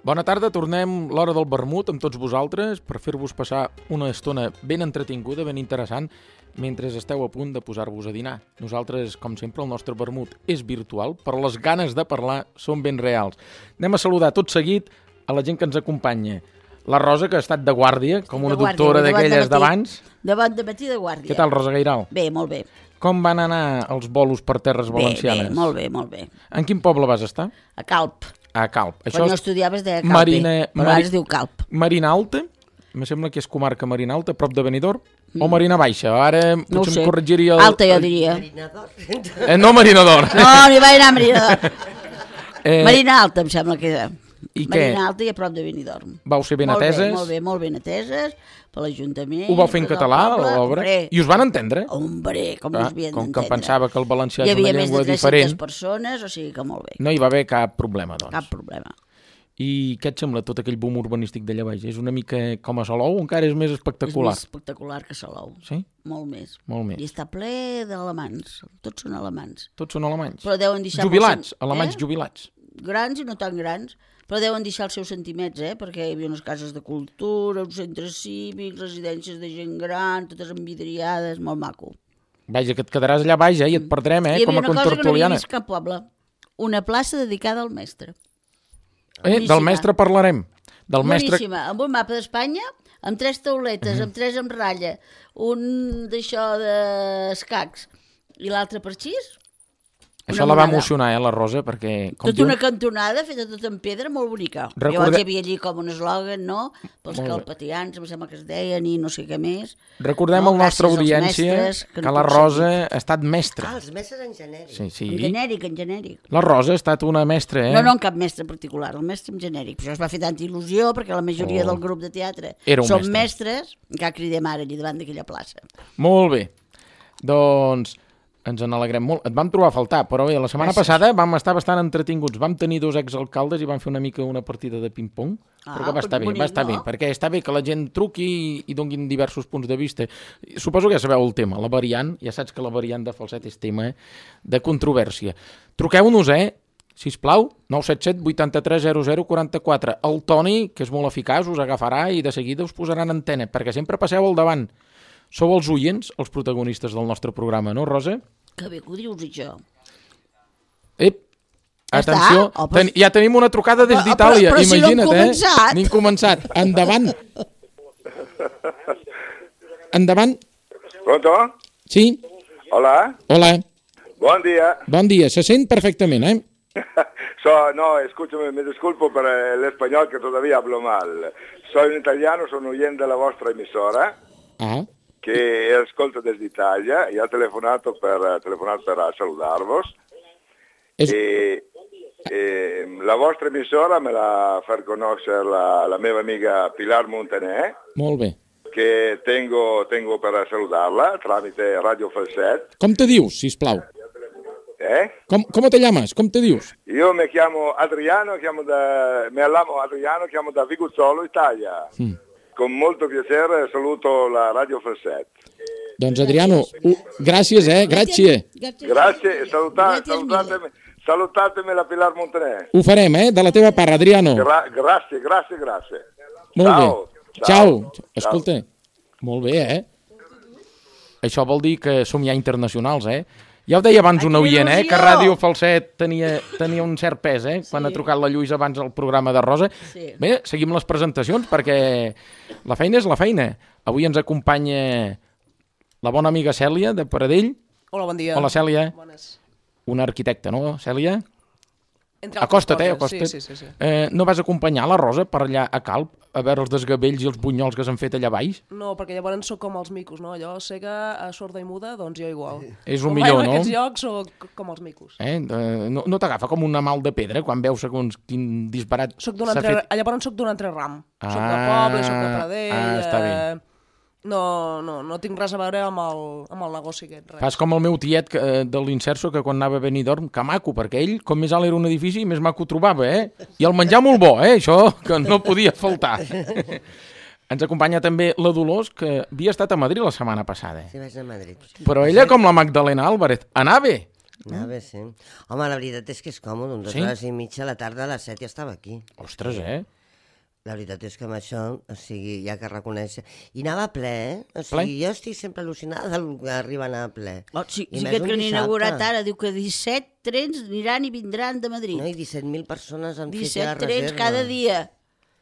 Bona tarda, tornem l'hora del vermut amb tots vosaltres per fer-vos passar una estona ben entretinguda, ben interessant, mentre esteu a punt de posar-vos a dinar. Nosaltres, com sempre, el nostre vermut és virtual, però les ganes de parlar són ben reals. Anem a saludar tot seguit a la gent que ens acompanya. La Rosa, que ha estat de guàrdia, com una doctora d'aquelles d'abans. Davant de matí de guàrdia. Què tal, Rosa Gairal? Bé, molt bé. Com van anar els bolos per terres valencianes? Bé, molt bé, molt bé. En quin poble vas estar? A Calp. A Calp. Quan no estudiaves deia Calp, però ara es diu Calp. Marina Alta, me sembla que és comarca Marina Alta, prop de Benidorm, o Marina Baixa? Ara no potser em corregiria... Alta, jo diria. No Marina d'Or. No, n'hi va anar a Marina d'Or. Marina Alta, em sembla que era. I Marina Alta i a prop de Benidorm. Vau ser ben ateses? Molt ben ateses, per l'Ajuntament. Ho vau fer en català, l'obra? I us van entendre? Hombre, com us havien d'entendre. Com que pensava que el valencià és una llengua diferent. Hi havia més de 300 persones, o sigui que molt bé. No hi va haver cap problema, doncs. Cap problema. I què et sembla tot aquell boom urbanístic d'allà baix? És una mica com a Salou o encara és més espectacular? És més espectacular que Salou. Sí? Molt més. Molt més. I està ple d'alemans. Tots són alemans. Tots són alemanys? Però deuen deixar... Jubilats, alemanys jubilats. Grans i no tan grans, però deuen deixar els seus sentiments, perquè hi havia unes cases de cultura, uns centres cívics, residències de gent gran, totes envidriades, molt maco. Vaja, que et quedaràs allà baix, i et perdrem, com a contertuliana. Hi havia una cosa que no havia vist cap poble. Una plaça dedicada al mestre. Del mestre parlarem. Boníssima, amb un mapa d'Espanya, amb 3 tauletes, amb 3 amb ratlla, un d'això d'escacs i l'altre per xis. Això la va emocionar, la Rosa, perquè... Tota una cantonada feta tot en pedra, molt bonica. Llavors hi havia allí com un eslògan, no? Pels calpatians, em sembla que es deien, i no sé què més. Recordem a la nostra audiència que la Rosa ha estat mestra. Els mestres en genèric. Sí. En genèric. La Rosa ha estat una mestra, No, en cap mestre particular, el mestre en genèric. Però això es va fer tanta il·lusió, perquè la majoria del grup de teatre són mestres, que cridem ara allà davant d'aquella plaça. Molt bé. Doncs... ens n'alegrem molt. Et vam trobar a faltar, però bé, la setmana passada vam estar bastant entretinguts. Vam tenir 2 exalcaldes i vam fer una mica una partida de ping-pong, però que va estar bé, perquè està bé que la gent truqui i donguin diversos punts de vista. Suposo que ja sabeu el tema, la variant, ja saps que la variant de falset és tema de controvèrsia. Truqueu-nos, sisplau, 977 83 00 44. El Toni, que és molt eficaç, us agafarà i de seguida us posarà en antena, perquè sempre passeu al davant. Sou els oients, els protagonistes del nostre programa, no, Rosa? Que bé que ho dius, això. Atenció, ja tenim una trucada des d'Itàlia, imagina't, N'hem començat. Endavant. Endavant. Pronto? Sí. Hola. Hola. Buen día. Bon dia, se sent perfectamente, No, escúchame, me disculpo per l'español que todavía hablo mal. Soy un italiano, sono oyente della vostra emissora. Che ascolto desde Italia e ho telefonato per salutarvos. E la vostra emissora me la fa conoscere la mia amica Pilar Montaner. Molt bé. Che tengo per saludarla tramite Radio Falset. Com te dius, sisplau? ¿Cómo te llamas? ¿Cómo te dius? Io mi chiamo Adriano, chiamo da Viguzzolo, Italia. Con molto piacere saluto la Radio Falset. Doncs Adriano, gràcies, Grazie, salutatemi la Pilar Montaner. Ho farem, de la teva part, Adriano. Grazie. Molt bé. Ciao. Escolta, molt bé, Això vol dir que som ja internacionals, Ja ho deia abans un oient, que Ràdio Falset tenia un cert pes, quan ha trucat la Lluïsa abans al programa de Rosa. Bé, seguim les presentacions, perquè la feina és la feina. Avui ens acompanya la bona amiga Cèlia, de Paradell. Hola, bon dia. Hola, Cèlia. Bones. Una arquitecta, no, Cèlia? Acosta't. Sí. No vas acompanyar la Rosa per allà a Calp, a veure els desgavells i els bunyols que s'han fet allà baix? No, perquè llavors sóc com els micos, no? Allò cega, sorda i muda, doncs jo igual. És un millor, no? En aquests llocs sóc com els micos. No t'agafa com una mal de pedra quan veus segons quin disbarat s'ha fet? Llavors soc d'un altre ram. Soc de poble, soc de Pradell... està bé. No tinc res a veure amb el negoci aquest. Res. Fas com el meu tiet de l'Inserso, que quan anava a Benidorm, que maco, perquè ell, com més alt era un edifici, més maco trobava, I el menjar molt bo, això, que no podia faltar. Ens acompanya també la Dolors, que havia estat a Madrid la setmana passada. Sí, vaig anar a Madrid. Però ella, com la Magdalena Álvarez, anava. Anava, sí. Home, la veritat és que és còmode, 2 hores i mitja a la tarda, a les 7 ja estava aquí. Ostres, La veritat és que amb això, o sigui, hi ha que reconèixer. I anava ple, O sigui, jo estic sempre al·lucinada del que arriba a anar ple. Sí que han inaugurat ara, diu que 17 trens aniran i vindran de Madrid. No, i 17.000 persones han fet 17 ja la reserva. trens cada dia.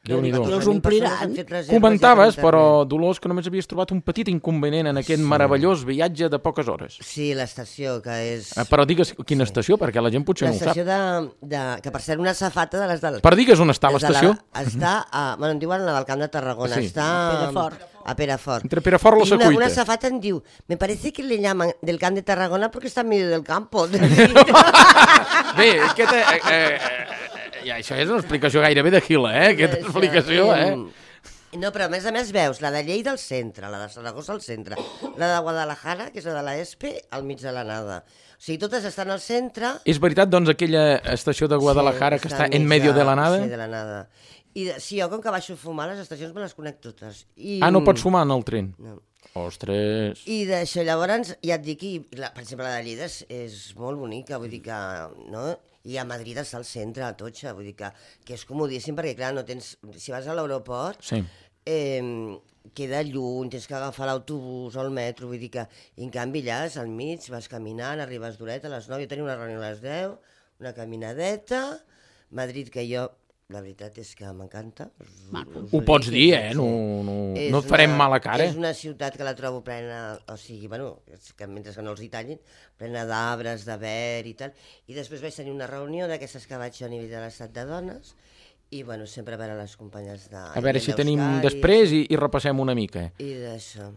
Déu-n'hi-do. Que els ompliran. Comentaves, però, Dolors, que només havies trobat un petit inconvenient en aquest meravellós viatge de poques hores. Sí, l'estació, que és... Però digues quina estació, perquè la gent potser no ho sap. L'estació que per ser una safata de les del... Per digues on està l'estació. Està a... Bueno, em diuen la del Camp de Tarragona. Està a Perafort. Entre Perafort i la Secuita. Una safata em diu, me parece que le llaman del Camp de Tarragona porque está en medio del campo. Bé, ja, això és una explicació gairebé de Gila, aquesta explicació, No, però a més veus la de Lleida al centre, la de Saragossa al centre, la de Guadalajara, que és la de la ESPE, al mig de la nada. O sigui, totes estan al centre... És veritat, doncs, aquella estació de Guadalajara que està en medio de la nada? Sí, de la nada. Sí, jo com que baixo a fumar, les estacions me les conec totes. No pots fumar en el tren? No. Ostres... I d'això, llavors, ja et dic, per exemple, la de Lleida és molt bonica, vull dir que... No? I a Madrid està al centre, a Totxa, vull dir que és comodíssim, perquè clar, no tens... Si vas a l'aeroport, queda lluny, tens que agafar l'autobús o el metro, vull dir que... I en canvi allà és al mig, vas caminant, arribes d'horeta a les 9, jo tenia una reunió a les 10, una caminadeta, Madrid, que jo... La veritat és que m'encanta. Ho pots dir, no et farem mala cara. És una ciutat que la trobo plena, o sigui, bueno, mentre que no els hi tallin, plena d'arbres, de verd i tal. I després vaig tenir una reunió d'aquestes que vaig a nivell de l'estat de dones i, bueno, sempre a veure les companyes de... A veure si tenim després i repassem una mica. I d'això.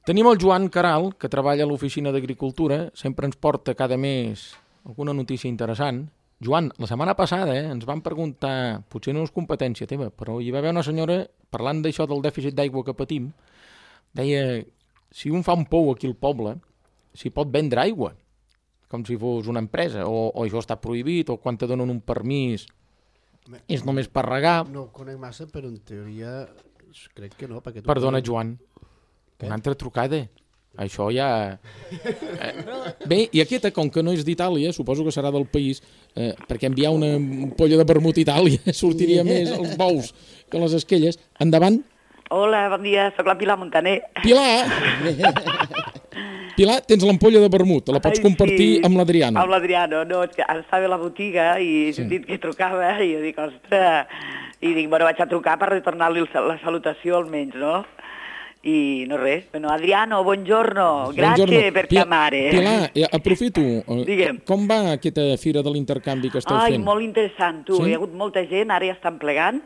Tenim el Joan Caral, que treballa a l'Oficina d'Agricultura, sempre ens porta cada mes alguna notícia interessant. Joan, la setmana passada ens van preguntar, potser no és competència teva, però hi va haver una senyora, parlant d'això del dèficit d'aigua que patim, deia, si un fa un pou aquí al poble, s'hi pot vendre aigua, com si fos una empresa, o això està prohibit, o quan te donen un permís, és només per regar. No ho conec massa, però en teoria crec que no. Perdona, Joan, una altra trucada. Això ja... Bé, i aquesta, com que no és d'Itàlia, suposo que serà del país, perquè enviar una ampolla de vermut a Itàlia sortiria més els bous que les esquelles. Endavant. Hola, bon dia, sóc la Pilar Montaner. Pilar! Pilar, tens l'ampolla de vermut, la pots compartir amb l'Adriano. Amb l'Adriano, no, és que ara estava a la botiga i he sentit que trucava i jo dic, ostres, i dic, bueno, vaig a trucar per retornar-li la salutació almenys, no? I no res. Bueno, Adriano, buongiorno, grazie per chiamare. Pilar, aprofito. Digue'm. Com va aquesta fira de l'intercanvi que esteu fent? Ai, molt interessant, tu. Hi ha hagut molta gent, ara ja estan plegant,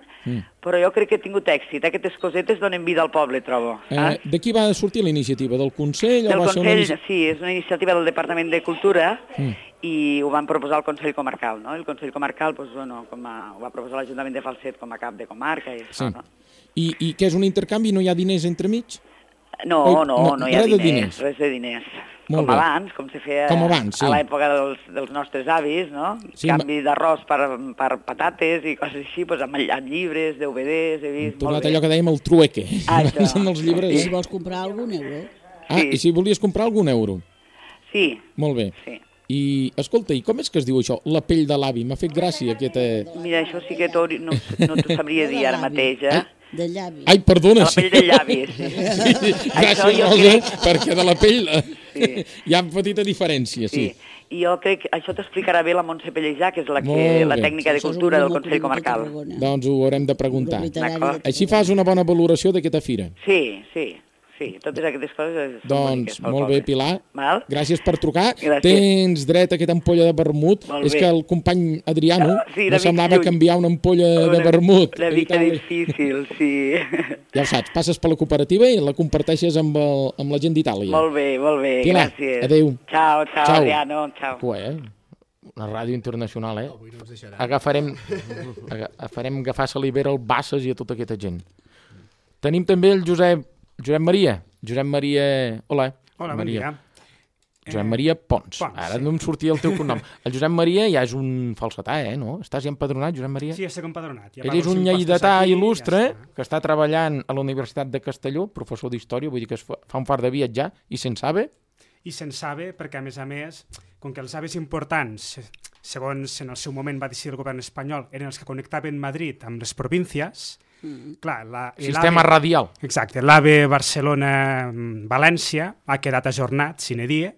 però jo crec que he tingut èxit. Aquestes cosetes donen vida al poble, trobo. De qui va sortir la iniciativa? Del Consell? Del Consell, sí, és una iniciativa del Departament de Cultura i ho van proposar el Consell Comarcal, no? El Consell Comarcal, doncs, bueno, ho va proposar l'Ajuntament de Falset com a cap de comarca i això, no? I què és un intercanvi? No hi ha diners entremig? No hi ha diners, res de diners. Com abans, com se feia a l'època dels nostres avis, no? Canvi d'arròs per patates i coses així, amb llibres, DVDs, he vist... Tornat allò que dèiem el trueque. Això. I si vols comprar algun euro? I si volies comprar algun euro? Sí. Molt bé. Sí. I, escolta, i com és que es diu això? La pell de l'avi. M'ha fet gràcia aquesta... Mira, això sí que no t'ho sabria dir ara mateix, De llavi. Ai, perdona. De la pell de llavi, sí. Gràcies, Rosa, perquè de la pell hi ha petita diferència, sí. I jo crec que això t'explicarà bé la Montse Pellejà, que és la tècnica de cultura del Consell Comarcal. Doncs ho haurem de preguntar. Així fas una bona valoració d'aquesta fira. Sí, totes aquestes coses... Doncs, molt bé, Pilar. Val? Gràcies per trucar. Tens dret a aquesta ampolla de vermut. És que el company Adriano no semblava que enviar una ampolla de vermut. Una mica difícil, sí. Ja ho saps, passes per la cooperativa i la comparteixes amb la gent d'Itàlia. Molt bé, Pilar, gràcies. Adéu. Ciao, Adriano, ciao. Una ràdio internacional, Farem agafar salivera al Bassas i a tota aquesta gent. Tenim també el Josep Maria. Hola. Hola, bon dia. Josep Maria Pons. Ara no em sortia el teu cognom. El Josep Maria ja és un falsetà, no? Estàs ja empadronat, Josep Maria? Sí, estic empadronat. Ell és un lleidatà il·lustre que està treballant a la Universitat de Castelló, professor d'història, vull dir que fa un fart de viatjar, i se'n sabe? I se'n sabe perquè, a més, com que els AVEs importants, segons en el seu moment va decidir el govern espanyol, eren els que connectaven Madrid amb les províncies, clar, sistema radial. Exacte, l'AVE Barcelona-València ha quedat ajornat, sine die,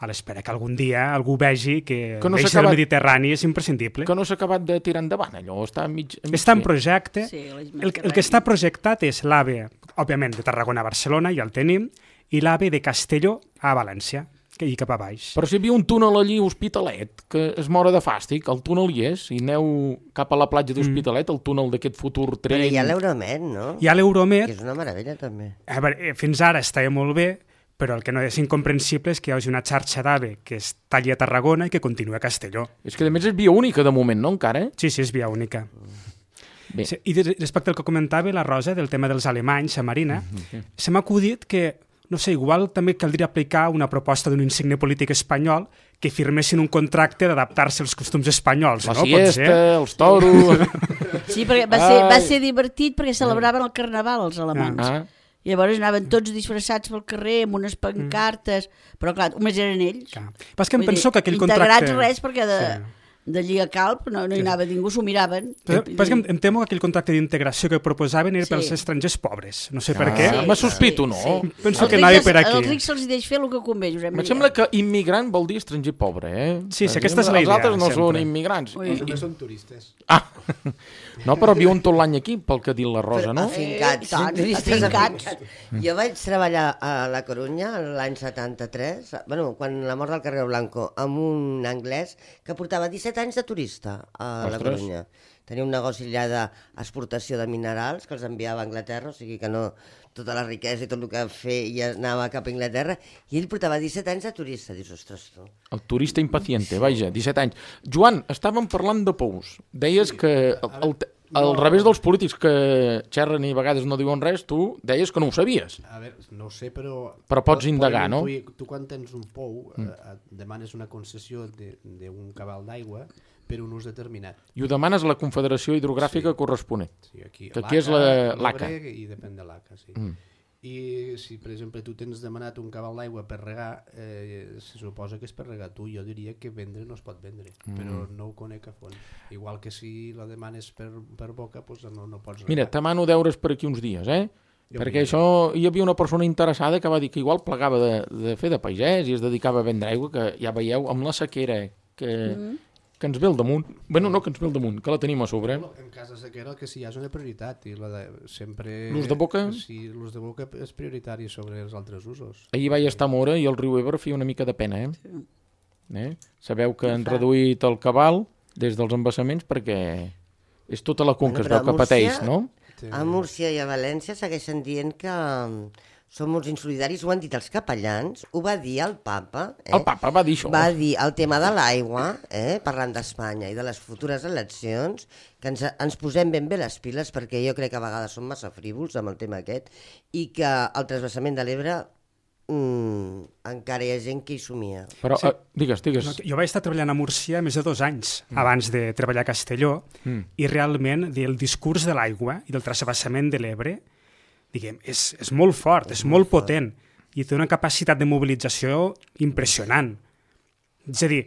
a l'espera que algun dia algú vegi que l'eix del Mediterrani és imprescindible. Que no s'ha acabat de tirar endavant, allò? Està en projecte. Sí, el que està projectat és l'AVE, òbviament, de Tarragona a Barcelona, ja el tenim, i l'AVE de Castelló a València, i cap a baix. Però si hi havia un túnel allí a Hospitalet, que es mora de fàstic, el túnel hi és, i aneu cap a la platja d'Hospitalet, el túnel d'aquest futur tren... Però hi ha l'Euromed, no? Hi ha l'Euromed. Que és una meravella, també. A veure, fins ara estava molt bé, però el que no és incomprensible és que hi hagi una xarxa d'AVE que es talli a Tarragona i que continua a Castelló. És que, a més, és via única de moment, no, encara? Sí, és via única. Bé. Sí, i respecte al que comentava la Rosa, del tema dels alemanys a Marina, se m'ha acudit que, no sé, igual també caldria aplicar una proposta d'un insigne polític espanyol que firmessin un contracte d'adaptar-se als costums espanyols. La siesta, els toros... Sí, perquè va ser divertit perquè celebraven el carnaval els alemanys. Llavors anaven tots disfressats pel carrer amb unes pancartes, però clar, només eren ells. Pas que em penso que aquell contracte... Integrats res, perquè d'allí a Calp no hi anava ningú, s'ho miraven. Pas que em temo que aquell contracte d'integració que proposaven era pels estrangers pobres. No sé per què. Me sospito, no? Penso que anava per aquí. Els rics se'ls deix fer el que convé, Josep Maria. Em sembla que immigrant vol dir estranger pobre, eh? Sí, aquesta és la idea. Els altres no són immigrants. També són turistes. No, però viuen tot l'any aquí, pel que ha dit la Rosa, no? Afincats. Jo vaig treballar a La Corunya l'any 73, quan la mort del Carrero Blanco, amb un anglès que portava 17 anys de turista a La Corunya. Tenia un negoci allà d'exportació de minerals que els enviava a Anglaterra, o sigui que no tota la riquesa i tot el que feia anava cap a Anglaterra, i ell portava 17 anys de turista. Dius, ostres, tu. El turista impaciente, vaja, 17 anys. Joan, estàvem parlant de pous. Deies que al revés dels polítics que xerren i a vegades no diuen res, tu deies que no ho sabies. A veure, no ho sé, però... Però pots indagar, no? Tu quan tens un pou demanes una concessió d'un cabal d'aigua per un ús determinat. I ho demanes a la Confederació Hidrogràfica corresponent. Sí, aquí és l'ACA. I depèn de l'ACA, sí. I si, per exemple, tu tens demanat un cabal d'aigua per regar, se suposa que és per regar tu. Jo diria que vendre no es pot vendre, però no ho conec a fons. Igual que si la demanes per boca, doncs no pots regar. Mira, te mano deures per aquí uns dies, perquè això hi havia una persona interessada que va dir que igual plegava de fer de pagès i es dedicava a vendre aigua, que ja veieu, amb la sequera que ens ve al damunt, no que ens ve al damunt, que la tenim a sobre. En cas de sequera el que sí hi ha és una prioritat, i sempre... L'ús de boca? Sí, l'ús de boca és prioritari sobre els altres usos. Ahir vaig estar a Móra i el riu Ebre feia una mica de pena, Sabeu que han reduït el cabal des dels embassaments perquè és tota la conca es veu que pateix, no? A Múrcia i a València segueixen dient que són molt insolidaris, ho han dit els capellans, ho va dir el Papa. El Papa va dir això. Va dir el tema de l'aigua, parlant d'Espanya i de les futures eleccions, que ens posem ben bé les piles, perquè jo crec que a vegades som massa frívols amb el tema aquest, i que el transvasament de l'Ebre encara hi ha gent que hi somia. Però, digues. No, jo vaig estar treballant a Múrcia més de 2 anys abans de treballar a Castelló, i realment el discurs de l'aigua i del transvasament de l'Ebre, diguem, és molt fort, és molt potent, i té una capacitat de mobilització impressionant. És a dir,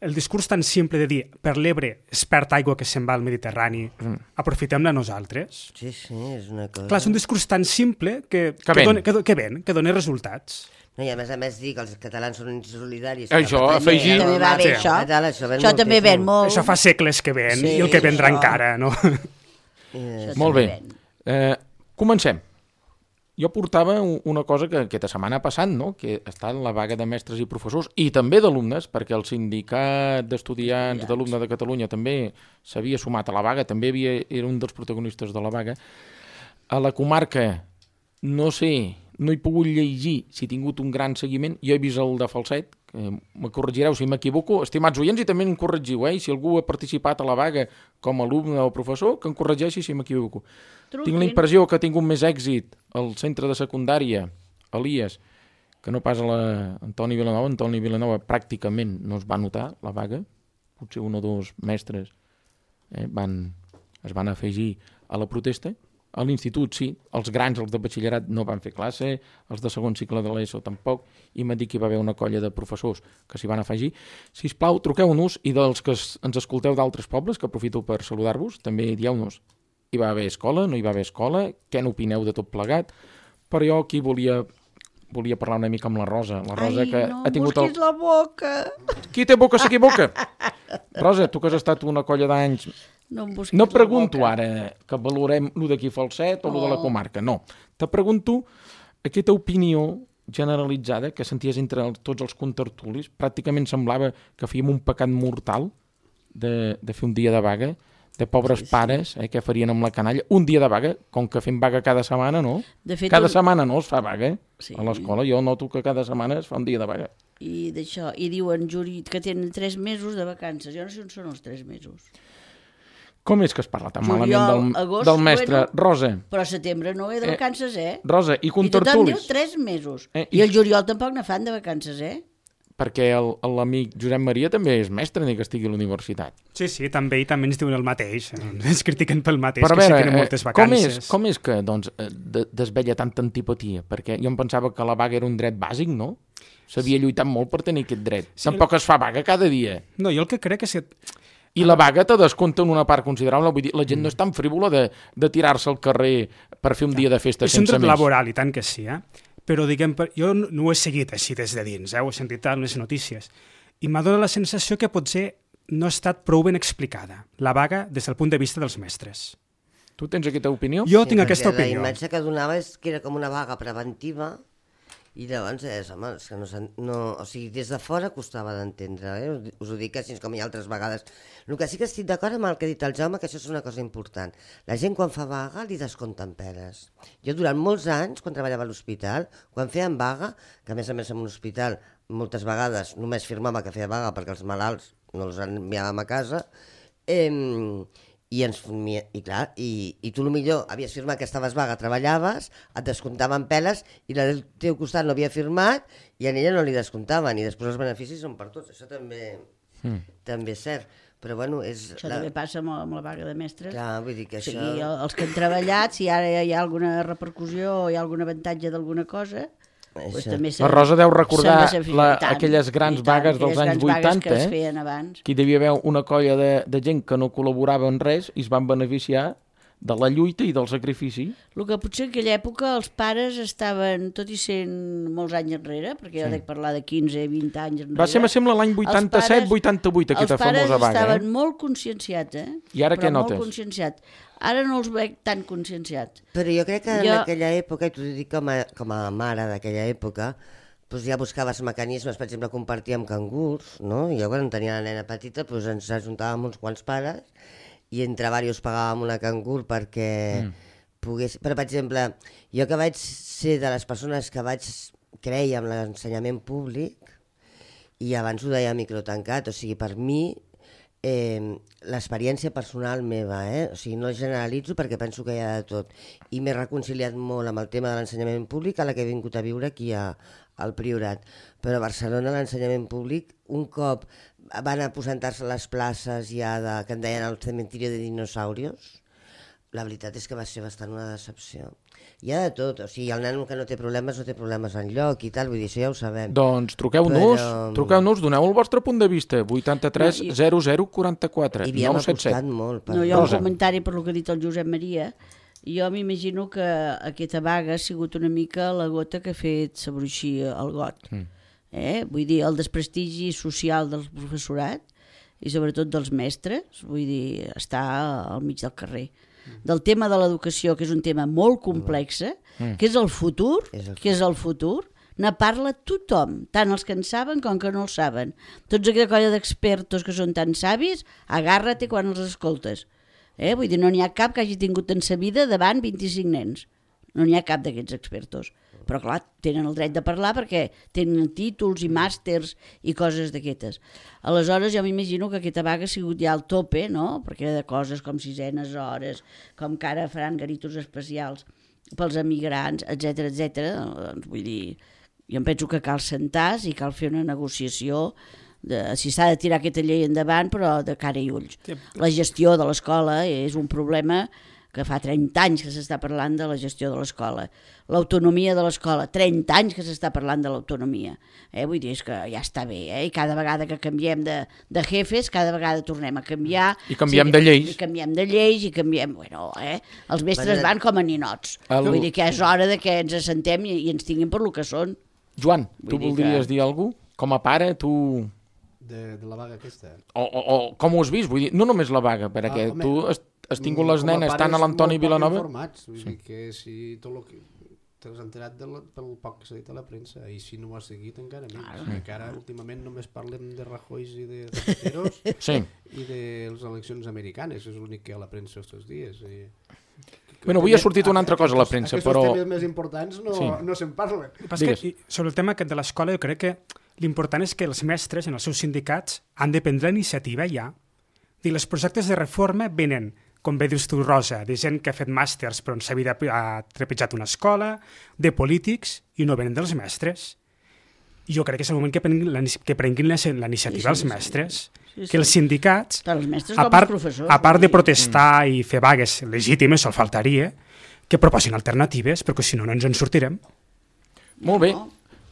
el discurs tan simple de dir per l'Ebre es perd aigua que se'n va al Mediterrani, aprofitem-la nosaltres. Sí, és una cosa... Clar, és un discurs tan simple que dona resultats. No, i a més dir que els catalans són insolidaris... Això, afegir... També va bé, això. Això també ven molt. Això fa segles que ven, i el que vendrà encara, no? Molt bé. Comencem. Jo portava una cosa que aquesta setmana passat, no? Que està en la vaga de mestres i professors i també d'alumnes, perquè el sindicat d'estudiants d'alumnes de Catalunya també s'havia sumat a la vaga, també era un dels protagonistes de la vaga. A la comarca, no he pogut llegir si he tingut un gran seguiment, jo he vist el de Falset, me corregireu si m'equivoco, estimats oients, i també em corregiu, si algú ha participat a la vaga com a alumne o professor, que em corregeixi si m'equivoco. Tinc la impressió que ha tingut més èxit al centre de secundària, Elies, que no pas a l'Antoni Vilanova. Antoni Vilanova pràcticament no es va notar la vaga, potser un o dos mestres es van afegir a la protesta, A l'institut, sí. Els grans, els de batxillerat, no van fer classe, els de segon cicle de l'ESO tampoc, i m'ha dit que hi va haver una colla de professors que s'hi van afegir. Sisplau, truqueu-nos, i dels que ens escolteu d'altres pobles, que aprofito per saludar-vos, també dieu-nos, hi va haver escola, no hi va haver escola, què n'opineu de tot plegat, però jo aquí volia parlar una mica amb la Rosa. La Rosa que ha tingut busquis la boca! Qui té boca s'equivoca! Rosa, tu que has estat una colla d'anys... No pregunto ara que valorem lo d'aquí Falset o lo de la comarca, no. Te pregunto aquesta opinió generalitzada que senties entre tots els contertulis. Pràcticament semblava que fèiem un pecat mortal de fer un dia de vaga, de pobres pares, que farien amb la canalla. Un dia de vaga, com que fem vaga cada setmana, no? Cada setmana no es fa vaga a l'escola. Jo noto que cada setmana es fa un dia de vaga. I d'això, i diuen que tenen 3 mesos de vacances. Jo no sé on són els 3 mesos. Com és que es parla tan malament del mestre? Rosa. Però setembre no de vacances, Rosa, i contertulis. I tothom diu 3 mesos. I el juliol tampoc ne fan de vacances, Perquè l'amic Josep Maria també és mestre, ni que estigui a la universitat. Sí, també, i també ens diuen el mateix. Ens critiquen pel mateix, que sí que tenen moltes vacances. Com és que desvella tanta antipatia? Perquè jo em pensava que la vaga era un dret bàsic, no? S'havia lluitat molt per tenir aquest dret. Tampoc es fa vaga cada dia. No, jo el que crec és que... I la vaga te descompta en una part considerable. Vull dir, la gent no és tan frívola de tirar-se al carrer per fer un dia de festa sense més. És un dret laboral, i tant que sí, Però, diguem, jo no ho he seguit així des de dins, ho he sentit a les notícies. I m'ha donat la sensació que potser no ha estat prou ben explicada, la vaga des del punt de vista dels mestres. Tu tens aquesta opinió? Jo tinc aquesta opinió. La imatge que donava és que era com una vaga preventiva. I llavors, home, és que no, o sigui, des de fora costava d'entendre, us ho dic així com hi ha altres vegades. El que sí que estic d'acord amb el que ha dit el Jaume, que això és una cosa important. La gent quan fa vaga li descompten peres. Jo durant molts anys, quan treballava a l'hospital, quan feien vaga, que a més en un hospital moltes vegades només firmava que feia vaga perquè els malalts no els enviàvem a casa, i tu millor havies firmat que estaves vaga, treballaves, et descomptaven peles i la del teu costat no havia firmat i a ella no li descomptaven i després els beneficis són per tots, això també és cert. Però bueno, això també passa amb la vaga de mestres. Clar, vull dir que això... O sigui, els que han treballat, si ara hi ha alguna repercussió o hi ha algun avantatge d'alguna cosa... Pues la Rosa deu recordar aquelles grans vagues dels anys 80, que hi devia haver una colla de gent que no col·laborava en res i es van beneficiar de la lluita i del sacrifici. El que potser en aquella època els pares estaven, tot i sent molts anys enrere, perquè jo dec parlar de 15-20 anys enrere... Va ser, me sembla, l'any 87-88 aquesta famosa vaga. Els pares estaven molt conscienciats, I ara què notes? Molt conscienciats. Ara no els veig tan conscienciats. Però jo crec que en aquella època, i t'ho dic com a mare d'aquella època, doncs ja buscaves mecanismes, per exemple, compartir amb cangurs, no? Jo quan tenia la nena petita ens ajuntàvem uns quants pares i entre diversos pagàvem una cangur perquè pogués... Però, per exemple, jo que vaig ser de les persones que vaig créixer amb l'ensenyament públic, i abans ho deia microtancat, o sigui, per mi l'experiència personal meva, o sigui, no generalitzo perquè penso que hi ha de tot, i m'he reconciliat molt amb el tema de l'ensenyament públic a la que he vingut a viure aquí al Priorat, però a Barcelona l'ensenyament públic un cop van aposentar-se les places ja que en deien el cementiri de dinosaurios, la veritat és que va ser bastant una decepció. Hi ha de tot, o sigui, el nano que no té problemes enlloc i tal, vull dir, això ja ho sabem. Doncs truqueu-nos, doneu el vostre punt de vista, 83 00 44 I havíem apostat molt. No, hi ha un comentari per lo que ha dit el Josep Maria. Jo m'imagino que aquesta vaga ha sigut una mica la gota que ha fet s'abruixir el got. Vull dir, el desprestigi social del professorat i sobretot dels mestres, vull dir, està al mig del carrer. Del tema de l'educació, que és un tema molt complex, que és el futur, ne parla tothom, tant els que en saben com que no el saben. Tots aquella colla d'expertos que són tan savis, agàrrate quan els escoltes. Vull dir, no n'hi ha cap que hagi tingut en sa vida davant 25 nens. No n'hi ha cap d'aquests expertos. Però clar, tenen el dret de parlar perquè tenen títols i màsters i coses d'aquestes. Aleshores jo m'imagino que aquesta vaga ha sigut ja al tope, no? Perquè de coses com 6enes hores, com que ara faran garitos especials pels emigrants, etc. Doncs vull dir, jo em penso que cal sentar-se i cal fer una negociació si s'ha de tirar aquesta llei endavant, però de cara i ulls. La gestió de l'escola és un problema que fa 30 anys que s'està parlant de la gestió de l'escola. L'autonomia de l'escola, 30 anys que s'està parlant de l'autonomia. Vull dir, és que ja està bé, i cada vegada que canviem de jefes, cada vegada tornem a canviar. I canviem de lleis. I canviem de lleis, i canviem... Bueno, els mestres van com a ninots. Vull dir que és hora de que ens assentem i ens tinguin per lo que són. Joan, tu voldries dir alguna cosa? Com a pare, tu... De la vaga aquesta? O com ho has vist? Vull dir, no només la vaga, perquè tu has tingut les nenes tant a l'Antoni Vilanova... Informats, vull dir que si tot el que t'has enterat pel poc que s'ha dit a la premsa, i si no ho has seguit encara més. Encara últimament només parlem de Rajoy i de Zapateros i de les eleccions americanes, és l'únic que hi ha a la premsa aquests dies. Bueno, avui ha sortit una altra cosa a la premsa, però... Aquests temes més importants no se'n parlen. Sobre el tema de l'escola, jo crec que l'important és que els mestres en els seus sindicats han de prendre iniciativa ja. Els projectes de reforma venen, com bé dius tu, Rosa, de gent que ha fet màsters però en sa vida ha trepitjat una escola, de polítics, i no venen dels mestres. Jo crec que és el moment que prenguin la iniciativa els mestres. Que els sindicats, a part de protestar i fer vagues legítimes, el faltaria, que proposin alternatives, perquè si no, no ens en sortirem. Molt bé.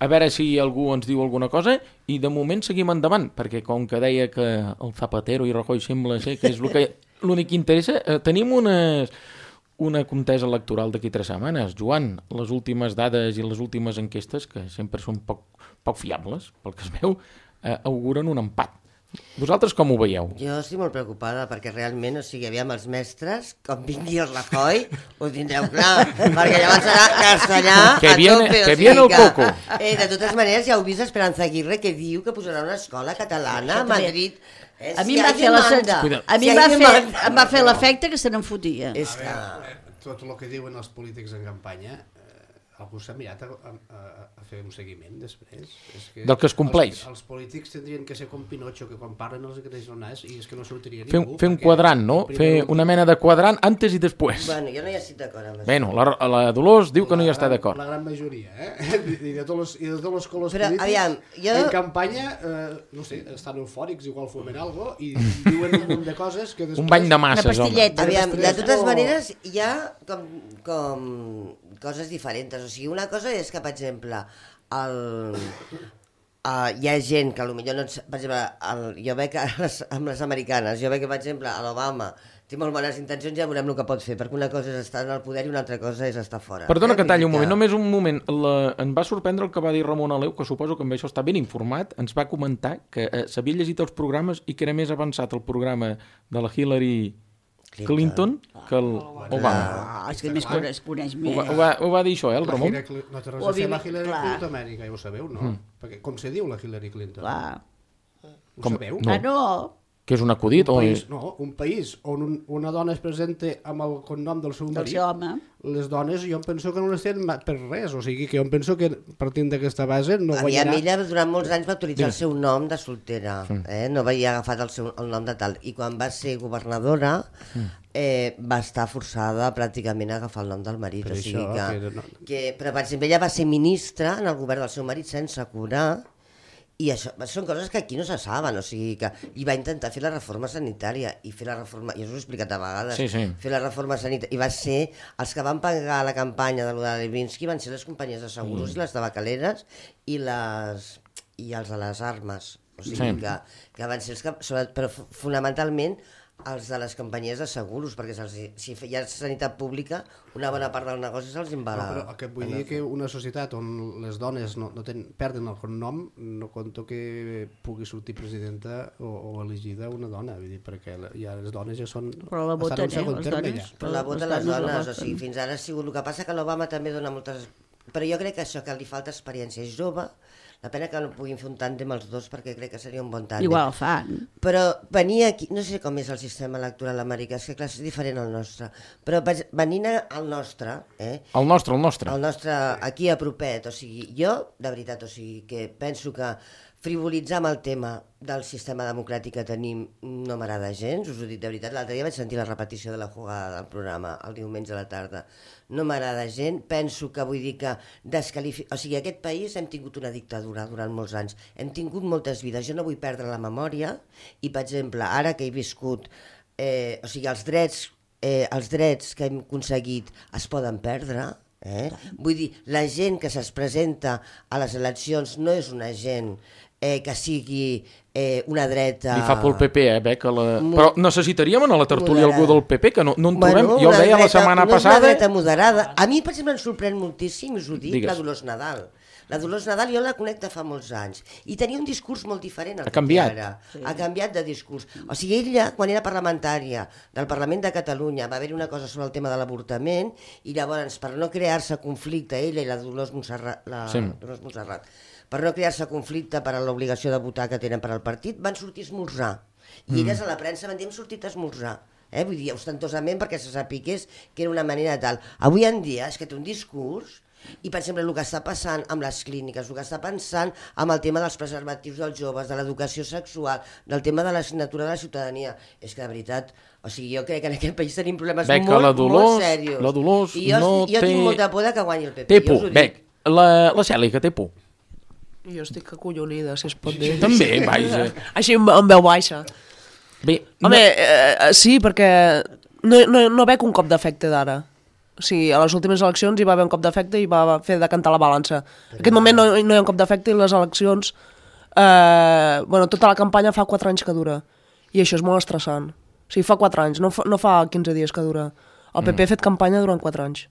A veure si algú ens diu alguna cosa, i de moment seguim endavant, perquè com que deia que el Zapatero i Rajoy sembla ser que és l'únic que interessa, tenim una contesa electoral d'aquí 3 setmanes. Joan, les últimes dades i les últimes enquestes, que sempre són poc fiables, pel que es veu, auguren un empat. Vosaltres com ho veieu? Jo estic molt preocupada perquè realment, aviam els mestres, com vingui el Rajoy, ho tindreu clar, perquè llavors serà castellà a tope. Que viene el coco. De totes maneres, ja heu vist Esperanza Aguirre que diu que posarà una escola catalana a Madrid. A mi em va fer l'efecte que se n'en fotia. Tot el que diuen els polítics en campanya, algú s'ha mirat a fer un seguiment després? Del que es compleix. Els polítics tindrien que ser com Pinocho, que quan parlen els creix el nas i és que no sortiria ningú. Fer un quadrant, no? Fer una mena de quadrant antes i després. Bueno, jo no hi estic d'acord amb això. Bueno, la Dolors diu que no hi està d'acord. La gran majoria, I de tots els colors polítics en campanya, no sé, estan eufòrics, igual fumen algo i diuen un munt de coses que després... Un bany de masses, home. Aviam, de totes maneres, hi ha com coses diferents. O sigui, una cosa és que, per exemple, hi ha gent que potser no... Per exemple, jo veig amb les americanes, jo veig que, per exemple, a l'Obama té molt bones intencions, ja veurem el que pot fer, perquè una cosa és estar en el poder i una altra cosa és estar fora. Perdona que talli un moment, només un moment. Em va sorprendre el que va dir Ramon Aleu, que suposo que amb això està ben informat, ens va comentar que s'havia llegit els programes i que era més avançat el programa de la Hillary Clinton que l'Obama. És que més coneix més. Ho va dir això, el Ramon? No té res a fer la Hillary Clinton Amèrica, ja ho sabeu, no? Perquè com se diu la Hillary Clinton? Ho sabeu? No. Que és un acudit? Un país on una dona es presenta amb el cognom del seu marit, les dones jo em penso que no les tenen per res, o sigui que jo em penso que partint d'aquesta base no guanyarà... Ella durant molts anys va utilitzar el seu nom de soltera, no havia agafat el nom de tal, i quan va ser governadora va estar forçada pràcticament a agafar el nom del marit, o sigui que... Però per exemple ella va ser ministra en el govern del seu marit sense curar. I això són coses que aquí no se saben, o sigui que... I va intentar fer la reforma sanitària, i fer la reforma... Ja us ho he explicat a vegades. Fer la reforma sanitària... I va ser... Els que van pagar la campanya de Levinsky van ser les companyies de seguros i les tabacaleres i els de les armes. O sigui que van ser els que... Però fonamentalment els de les companyies de seguros, perquè si hi ha sanitat pública, una bona part del negoci se'ls invala. Però el que vull dir que una societat on les dones perden el cognom, no conto que pugui sortir presidenta o elegida una dona, vull dir, perquè ja les dones ja són... Però la voten, les dones? Però la voten les dones, o sigui, fins ara ha sigut... El que passa que l'Obama també dona moltes... Però jo crec que això, que li falta experiència, és jove. La pena que no puguin fer un tàndem els dos perquè crec que seria un bon tàndem. Igual fan. Però venir aquí, no sé com és el sistema electoral americà, és que clar, és diferent al nostre, però venint al nostre... El nostre. El nostre aquí a propet, o sigui, jo, de veritat, o sigui, que penso que frivolitzar amb el tema del sistema democràtic que tenim no m'agrada gens, us ho dic de veritat. L'altre dia vaig sentir la repetició de la jugada del programa el diumenge a la tarda. No m'agrada gens, penso que vull dir que o sigui, aquest país hem tingut una dictadura durant molts anys, hem tingut moltes vides, jo no vull perdre la memòria i, per exemple, ara que he viscut, o sigui, els drets els drets que hem aconseguit es poden perdre. Vull dir, la gent que es presenta a les eleccions no és una gent que sigui una dreta... Li fa por el PP, però necessitaríem a la tertúlia algú del PP, que no en trobem. Jo ho deia la setmana passada... Una dreta moderada. A mi, per exemple, em sorprèn moltíssim, us ho dic, la Dolors Nadal. La Dolors Nadal jo la conec de fa molts anys i tenia un discurs molt diferent al que té ara. Ha canviat de discurs. O sigui, ella, quan era parlamentària del Parlament de Catalunya, va haver-hi una cosa sobre el tema de l'avortament i llavors, per no crear-se conflicte, ella i la Dolors Montserrat, per no crear-se conflicte per a l'obligació de votar que tenen per al partit, van sortir a esmorzar. I elles a la premsa van dir hem sortit a esmorzar. Vull dir, ostentosament perquè se sapigués que era una manera tal. Avui en dia és que té un discurs. I, per exemple, el que està passant amb les clíniques, el que està passant amb el tema dels preservatius dels joves, de l'educació sexual, del tema de l'assignatura de la ciutadania, és que, de veritat, o sigui, jo crec que en aquest país tenim problemes molt serios. La Dolors I jo tinc molta por que guanyi el PP. Té por, la Cèlia, que té por. Jo estic acollonida, si es pot dir. També, vaja. Així en veu baixa. Bé, home, sí, perquè no veig un cop d'efecte d'ara. O sigui, a les últimes eleccions hi va haver un cop d'efecte i va fer decantar la balança. En aquest moment no hi ha un cop d'efecte i les eleccions... tota la campanya fa 4 anys que dura. I això és molt estressant. O sigui, fa 4 anys, no fa 15 dies que dura. El PP ha fet campanya durant 4 anys.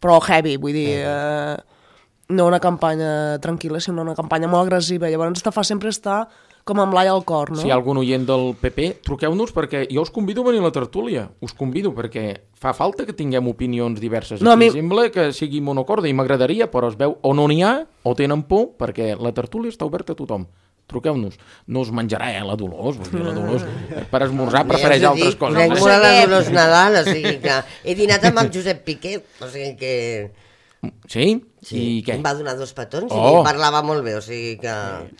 Però heavy, vull dir... no una campanya tranquil·la, sinó una campanya molt agressiva. Llavors te fa sempre estar com amb l'ai al cor, no? Si hi ha algun oient del PP, truqueu-nos perquè jo us convido a venir a la tertúlia. Us convido perquè fa falta que tinguem opinions diverses. No, sembla que sigui monocorde i m'agradaria, però es veu o no n'hi ha o tenen por perquè la tertúlia està oberta a tothom. Truqueu-nos. No us menjarà, la Dolors. La Dolors per esmorzar prefereix altres coses. Crec molt a la Dolors Nadal, o sigui que he dinat amb el Josep Piqué, o sigui que... Sí? Sí, i què? em va donar 2 petons i parlava molt bé, o sigui que...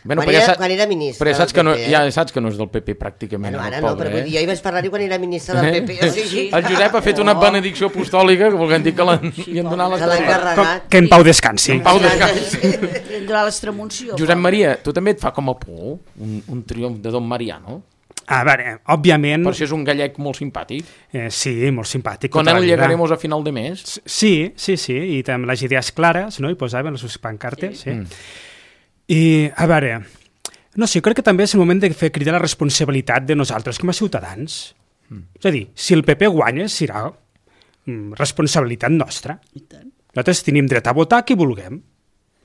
Bueno, quan era ministre però saps que ja saps que no és del PP pràcticament. Bueno, ara no, però vull dir, jo hi vaig parlar-hi quan era ministre del PP. O sigui... El Josep ha fet una benedicció apostòlica que volguem dir que li han donat les... Que en pau descansi. En pau descansi. Li han donat l'extremunció. Josep Maria, tu també et fa com a por un triomf de Don Mariano? A veure, òbviament... Per això és un gallec molt simpàtic. Sí, molt simpàtic. Con él llegaremos a final de mes. Sí, i amb les idees clares, no? I posaven les seves pancartes, sí. I, a veure, no sé, crec que també és el moment de fer cridar la responsabilitat de nosaltres com a ciutadans. És a dir, si el PP guanya, serà responsabilitat nostra. Nosaltres tenim dret a votar qui vulguem.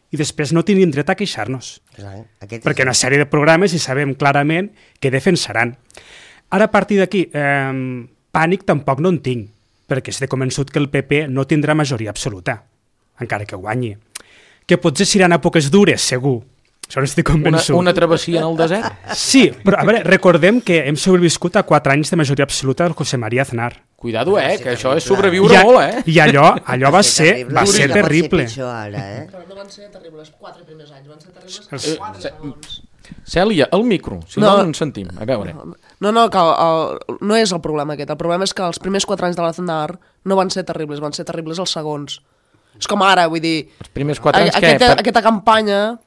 I després no tenim dret a queixar-nos. Perquè una sèrie de programes i sabem clarament que defensaran. Ara, a partir d'aquí, pànic tampoc no en tinc, perquè estic convençut que el PP no tindrà majoria absoluta, encara que guanyi. Que potser seran èpoques dures, segur. Això n'estic convençut. Una travessia en el desert? Sí, però a veure, recordem que hem sobreviscut a 4 anys de majoria absoluta del José María Aznar. Cuidado, que això és sobreviure molt, I allò va ser terrible. Però no van ser terribles 4 primers anys, van ser terribles 4 segons. Cèlia, el micro, si no ens sentim, a veure. No, que no és el problema aquest, el problema és que els primers 4 anys de l'Aznar no van ser terribles, van ser terribles els segons. És com ara, vull dir... Els primers 4 anys aquesta campanya,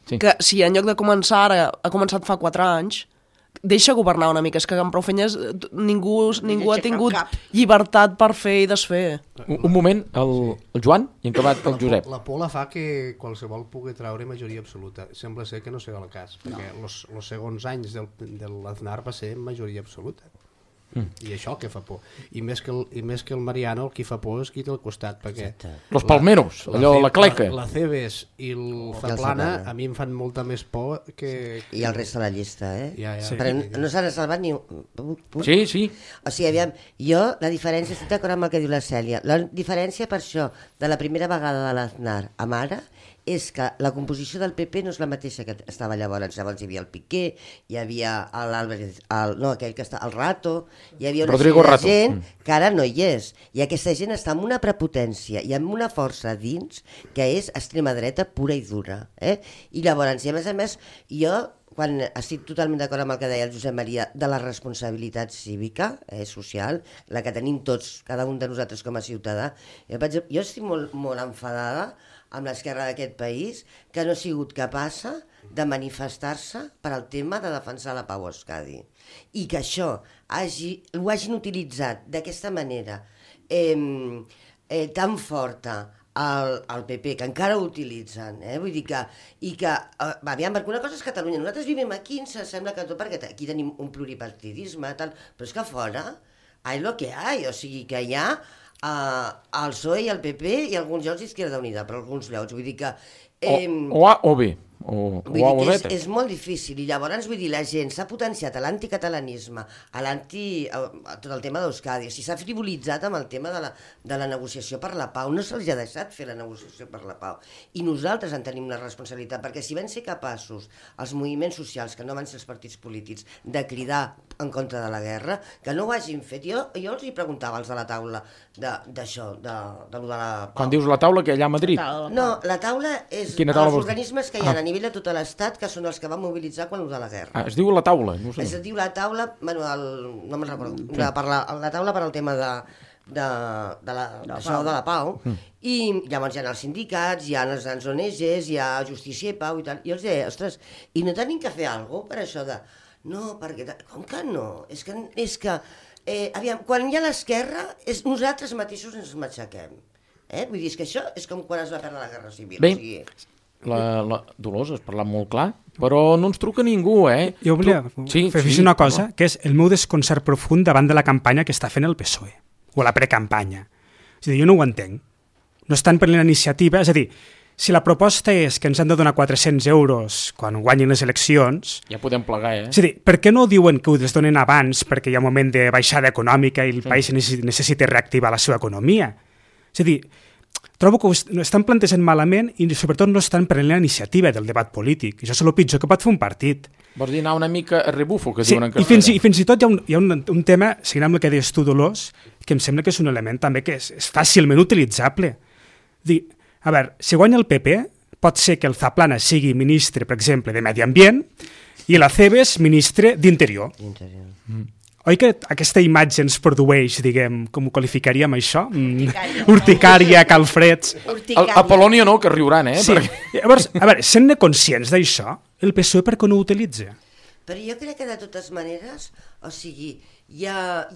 que si en lloc de començar ara ha començat fa 4 anys... Deixa governar una mica, és que amb prou feines ningú ha tingut llibertat per fer i desfer. Un moment, el Joan i en acabat el Josep. La por la fa que qualsevol pugui treure majoria absoluta. Sembla ser que no serà el cas, perquè els segons anys de l'Aznar va ser majoria absoluta. I això que fa por. I més que el Mariano, el que fa por és qui té al costat, perquè... Los palmeros, allò, la cleca. La Cebes i el Zaplana a mi em fan molta més por que... I el rest de la llista, Ja. Però no s'ha salvat ni... Sí. O sigui, aviam, jo la diferència, estic d'acord amb el que diu la Cèlia, la diferència per això de la primera vegada de l'Aznar amb ara és que la composició del PP no és la mateixa que estava llavors. Llavors hi havia el Piqué, hi havia l'Álvarez, aquell que està, el Rato, hi havia una sèrie de gent que ara no hi és. I aquesta gent està amb una prepotència i amb una força dins que és extrema dreta pura i dura. I llavors, i a més, jo quan estic totalment d'acord amb el que deia el Josep Maria de la responsabilitat cívica, social, la que tenim tots, cada un de nosaltres com a ciutadà, jo estic molt enfadada amb l'esquerra d'aquest país que no ha sigut capaç de manifestar-se per al tema de defensar la pau a Euskadi. I que això ho hagin utilitzat d'aquesta manera tan forta al PP, que encara ho utilitzen, vull dir que... Aviam, perquè una cosa és Catalunya, nosaltres vivim aquí, ens sembla que tot, perquè aquí tenim un pluripartidisme, tal, però és que a fora hay lo que hay, o sigui que hi ha el PSOE i el PP i alguns llocs d'Izquierda Unida, per alguns llocs, vull dir que... O A o B. Vull dir que és molt difícil, i llavors vull dir, la gent s'ha potenciat a l'anticatalanisme, a tot el tema d'Euskadi, o sigui, s'ha frivolitzat amb el tema de la negociació per la pau, no se'ls ha deixat fer la negociació per la pau, i nosaltres en tenim la responsabilitat, perquè si van ser capaços els moviments socials, que no van ser els partits polítics, de cridar en contra de la guerra, que no ho hagin fet. Jo els hi preguntava als de la taula d'això, de lo de la pau. Quan dius la taula, que allà a Madrid? No, la taula és els organismes que hi ha a nivell de tot l'Estat, que són els que van mobilitzar quan ho de la guerra. Es diu la taula? No sé. Es diu la taula, bueno, no me'n recordo, la taula per al tema de la pau, i llavors hi ha els sindicats, hi ha les grans ONGs, hi ha Justícia i Pau i tal, i els deia, ostres, i no tenim que fer alguna cosa per això de... No, perquè... Com que no? És que aviam, quan hi ha l'esquerra, nosaltres mateixos ens matxaquem. Vull dir, és que això és com quan es va perdre la Guerra Civil. Bé, la Dolors has parlat molt clar, però no ens truca ningú, Jo volia fer una cosa, que és el meu desconcert profund davant de la campanya que està fent el PSOE, o la precampanya. És a dir, jo no ho entenc. No estan prenent iniciativa, és a dir, si la proposta és que ens han de donar 400 euros quan guanyin les eleccions... Ja podem plegar, És a dir, per què no diuen que ho es donen abans perquè hi ha un moment de baixada econòmica i el país necessita reactivar la seva economia? És a dir, trobo que ho estan plantejant malament i sobretot no estan prenent la iniciativa del debat polític. Això és el pitjor que pot fer un partit. Vols dir anar una mica a rebufo, que diuen en castellà. I fins i tot hi ha un tema, seguint amb el que deies tu, Dolors, que em sembla que és un element també que és fàcilment utilitzable. A veure, si guanya el PP, pot ser que el Zaplana sigui ministre, per exemple, de Medi Ambient i l'Acebes ministre d'Interior. Oi que aquesta imatge ens produeix, diguem, com ho qualificaríem això? Urticària, calfreds... A Polònia no, que riuran, Sí. Llavors, a veure, sent-ne conscients d'això, el PSOE per què no ho utilitza? Però jo crec que de totes maneres, o sigui, ha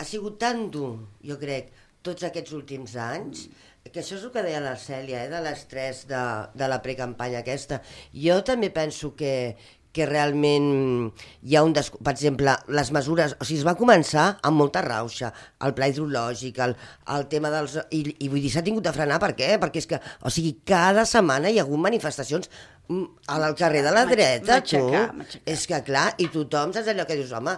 sigut tan dur, jo crec, tots aquests últims anys, que això és el que deia la Cèlia, de l'estrès de la precampanya aquesta. Jo també penso que realment hi ha per exemple, les mesures, o sigui, es va començar amb molta rauxa, el pla hidrològic, el tema dels... I vull dir, s'ha tingut de frenar, per què? Perquè és que, o sigui, cada setmana hi ha hagut manifestacions al carrer de la dreta, tu. És que, clar, i tothom saps allò que dius, home,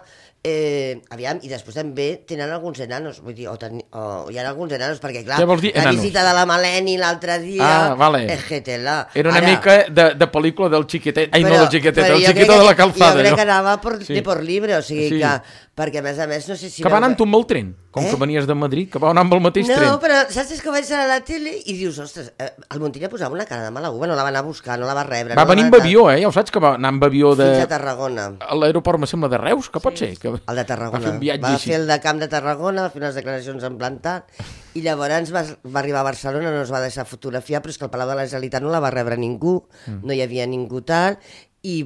aviam, i després també tenen alguns enanos, vull dir, hi ha alguns enanos, perquè clar, la visita de la Maleni l'altre dia, era una mica de pel·lícula del xiquetet, del xiquetó de la calzada. Jo crec que anava por libre, o sigui que, perquè a més no sé si... Que va anar amb tu amb el tren, com que venies de Madrid, que va anar amb el mateix tren. No, però saps que vaig anar a la tele i dius, ostres, el Montilla posava una cara de mala uva, no la va anar a buscar, no la va rebre. Va venir amb avió, ja ho saps, que va anar amb avió de... Fins a Tarragona. A l'aeroport, me sembla, de Reus, que pot ser? El de Tarragona. Va fer el de Camp de Tarragona, va fer unes declaracions en plantat, i llavors va arribar a Barcelona, no es va deixar fotografiar, però és que el Palau de la Generalitat no la va rebre ningú, no hi havia ningú tal, i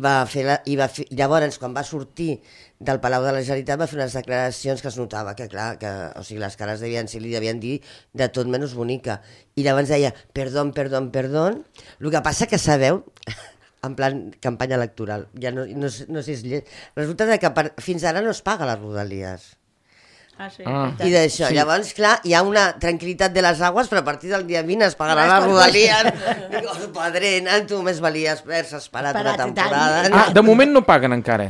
llavors, quan va sortir del Palau de la Generalitat, va fer unes declaracions que es notava que, clar, o sigui, les cares li devien dir de tot menys bonica. I llavors deia, perdón, el que passa que sabeu... en plan campanya electoral, ja no sé si és lleig. Resulta que fins ara no es paga les rodalies. I d'això, llavors, clar, hi ha una tranquil·litat de les aigües, però a partir del dia 20 es pagaran les rodalies. Digo, padre, tu més valia haver-se esperat una temporada. De moment no paguen encara.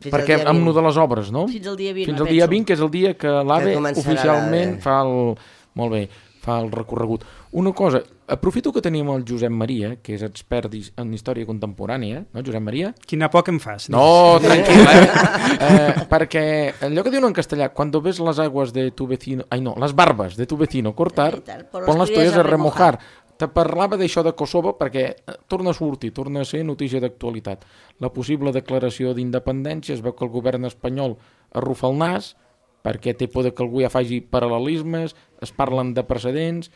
Perquè amb lo de les obres, no? Fins al dia 20. Fins al dia 20, que és el dia que l'AVE oficialment fa el recorregut. Una cosa, aprofito que tenim el Josep Maria, que és expert en història contemporània, no, Josep Maria? Quina por que em fas. No, tranquil, perquè allò que diuen en castellà, cuando ves las aguas de tu vecino... las barbas de tu vecino cortar, pon-les toalles a remojar. Te parlava d'això de Kosovo perquè torna a sortir, torna a ser notícia d'actualitat. La possible declaració d'independència, es veu que el govern espanyol arrufa el nas, perquè té por que algú ja faci paral·lelismes, es parlen de precedents,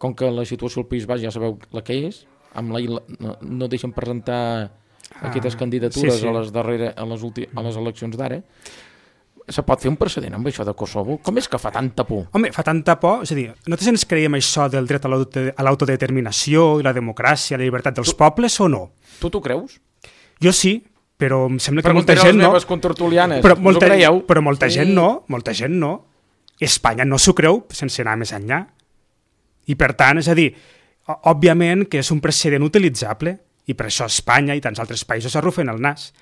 com que la situació al País Basc ja sabeu la que és, amb no deixen presentar aquestes candidatures a les eleccions d'ara, se pot fer un precedent amb això de Kosovo? Com és que fa tanta por? Home, fa tanta por, és a dir, nosaltres ens creiem això del dret a l'autodeterminació i la democràcia, la llibertat dels pobles o no? Tu t'ho creus? Jo sí, però em sembla que molta gent no. Però molta gent no. Espanya no s'ho creu sense anar més enllà. I per tant, és a dir, òbviament que és un precedent utilitzable i per això Espanya i tants altres països arrufen el nas.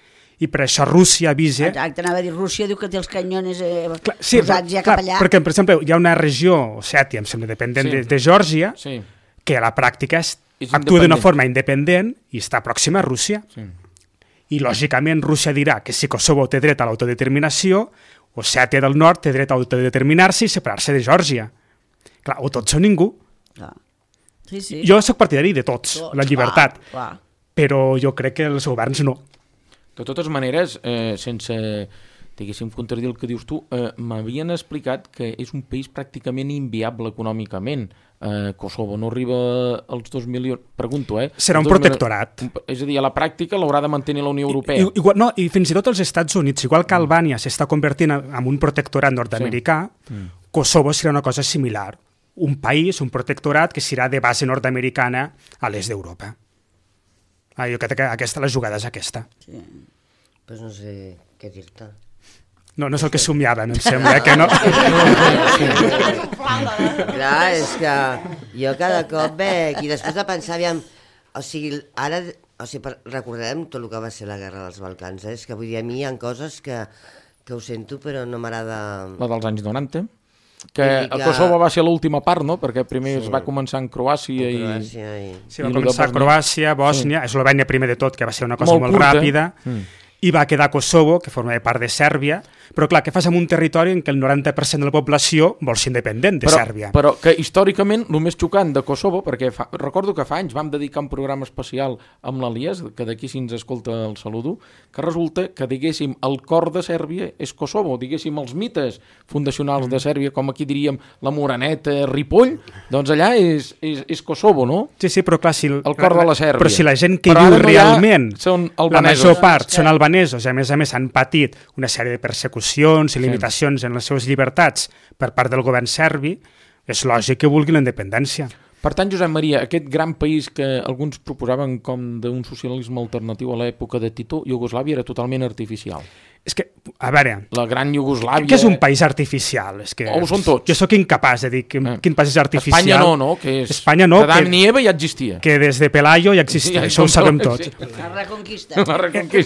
I per això Rússia avisa... Exacte, anava a dir, Rússia diu que té els canyones posats ja cap allà. Perquè, per exemple, hi ha una regió, Osètia, em sembla, dependent de Geòrgia, que a la pràctica actua d'una forma independent i està pròxima a Rússia. I, lògicament, Rússia dirà que si Kosovo té dret a l'autodeterminació, Osètia del Nord té dret a autodeterminar-se i separar-se de Geòrgia. Clar, o tots o ningú. Jo soc partidari de tots, la llibertat. Però jo crec que els governs no. De totes maneres, sense, diguéssim, contradir el que dius tu, m'havien explicat que és un país pràcticament inviable econòmicament. Kosovo no arriba als 2 milions... Pregunto, Serà un protectorat. És a dir, a la pràctica l'haurà de mantenir la Unió Europea. I fins i tot els Estats Units, igual que Albània s'està convertint en un protectorat nord-americà, Kosovo serà una cosa similar. Un país, un protectorat que serà de base nord-americana a l'est d'Europa. Jo crec que la jugada és aquesta. Sí. Pues no sé què dir-te. No és el que somiaven, em sembla, que no. Clar, és que jo cada cop veig, i després de pensar, aviam, ara recordarem tot el que va ser la guerra dels Balcans, és que vull dir, a mi hi ha coses que ho sento, però no m'agrada... La dels anys 90? Que el Kosovo va ser l'última part, no? Perquè primer es va començar en Croàcia i... Sí, va començar Croàcia, Bòsnia, Eslovènia primer de tot, que va ser una cosa molt ràpida, i va quedar Kosovo, que formava part de Sèrbia, però clar, què fas amb un territori en què el 90% de la població vol ser independent de Sèrbia? Però que històricament el més xocant de Kosovo, perquè recordo que fa anys vam dedicar un programa especial amb l'Elias, que d'aquí si ens escolta el saludo, que resulta que, diguéssim, el cor de Sèrbia és Kosovo, diguéssim, els mites fundacionals de Sèrbia, com aquí diríem la Moreneta, Ripoll, doncs allà és Kosovo, no? Sí, però clar, el cor de la Sèrbia. Però si la gent que viu realment, la major part són albanesos, i a més han patit una sèrie de persecucions i limitacions en les seves llibertats per part del govern serbi, és lògic que vulgui la independència. Per tant, Josep Maria, aquest gran país que alguns proposaven com d'un socialisme alternatiu a l'època de Tito, Iugoslàvia, era totalment artificial. És que, a veure... La gran Iugoslàvia... Que és un país artificial. És que ho són tots. Jo sóc incapaç de dir quin país és artificial. Espanya no? Que és... Espanya no. Que Adam ni Eva ja existia. Que des de Pelayo ja existia, això ho sabem tots. La reconquista.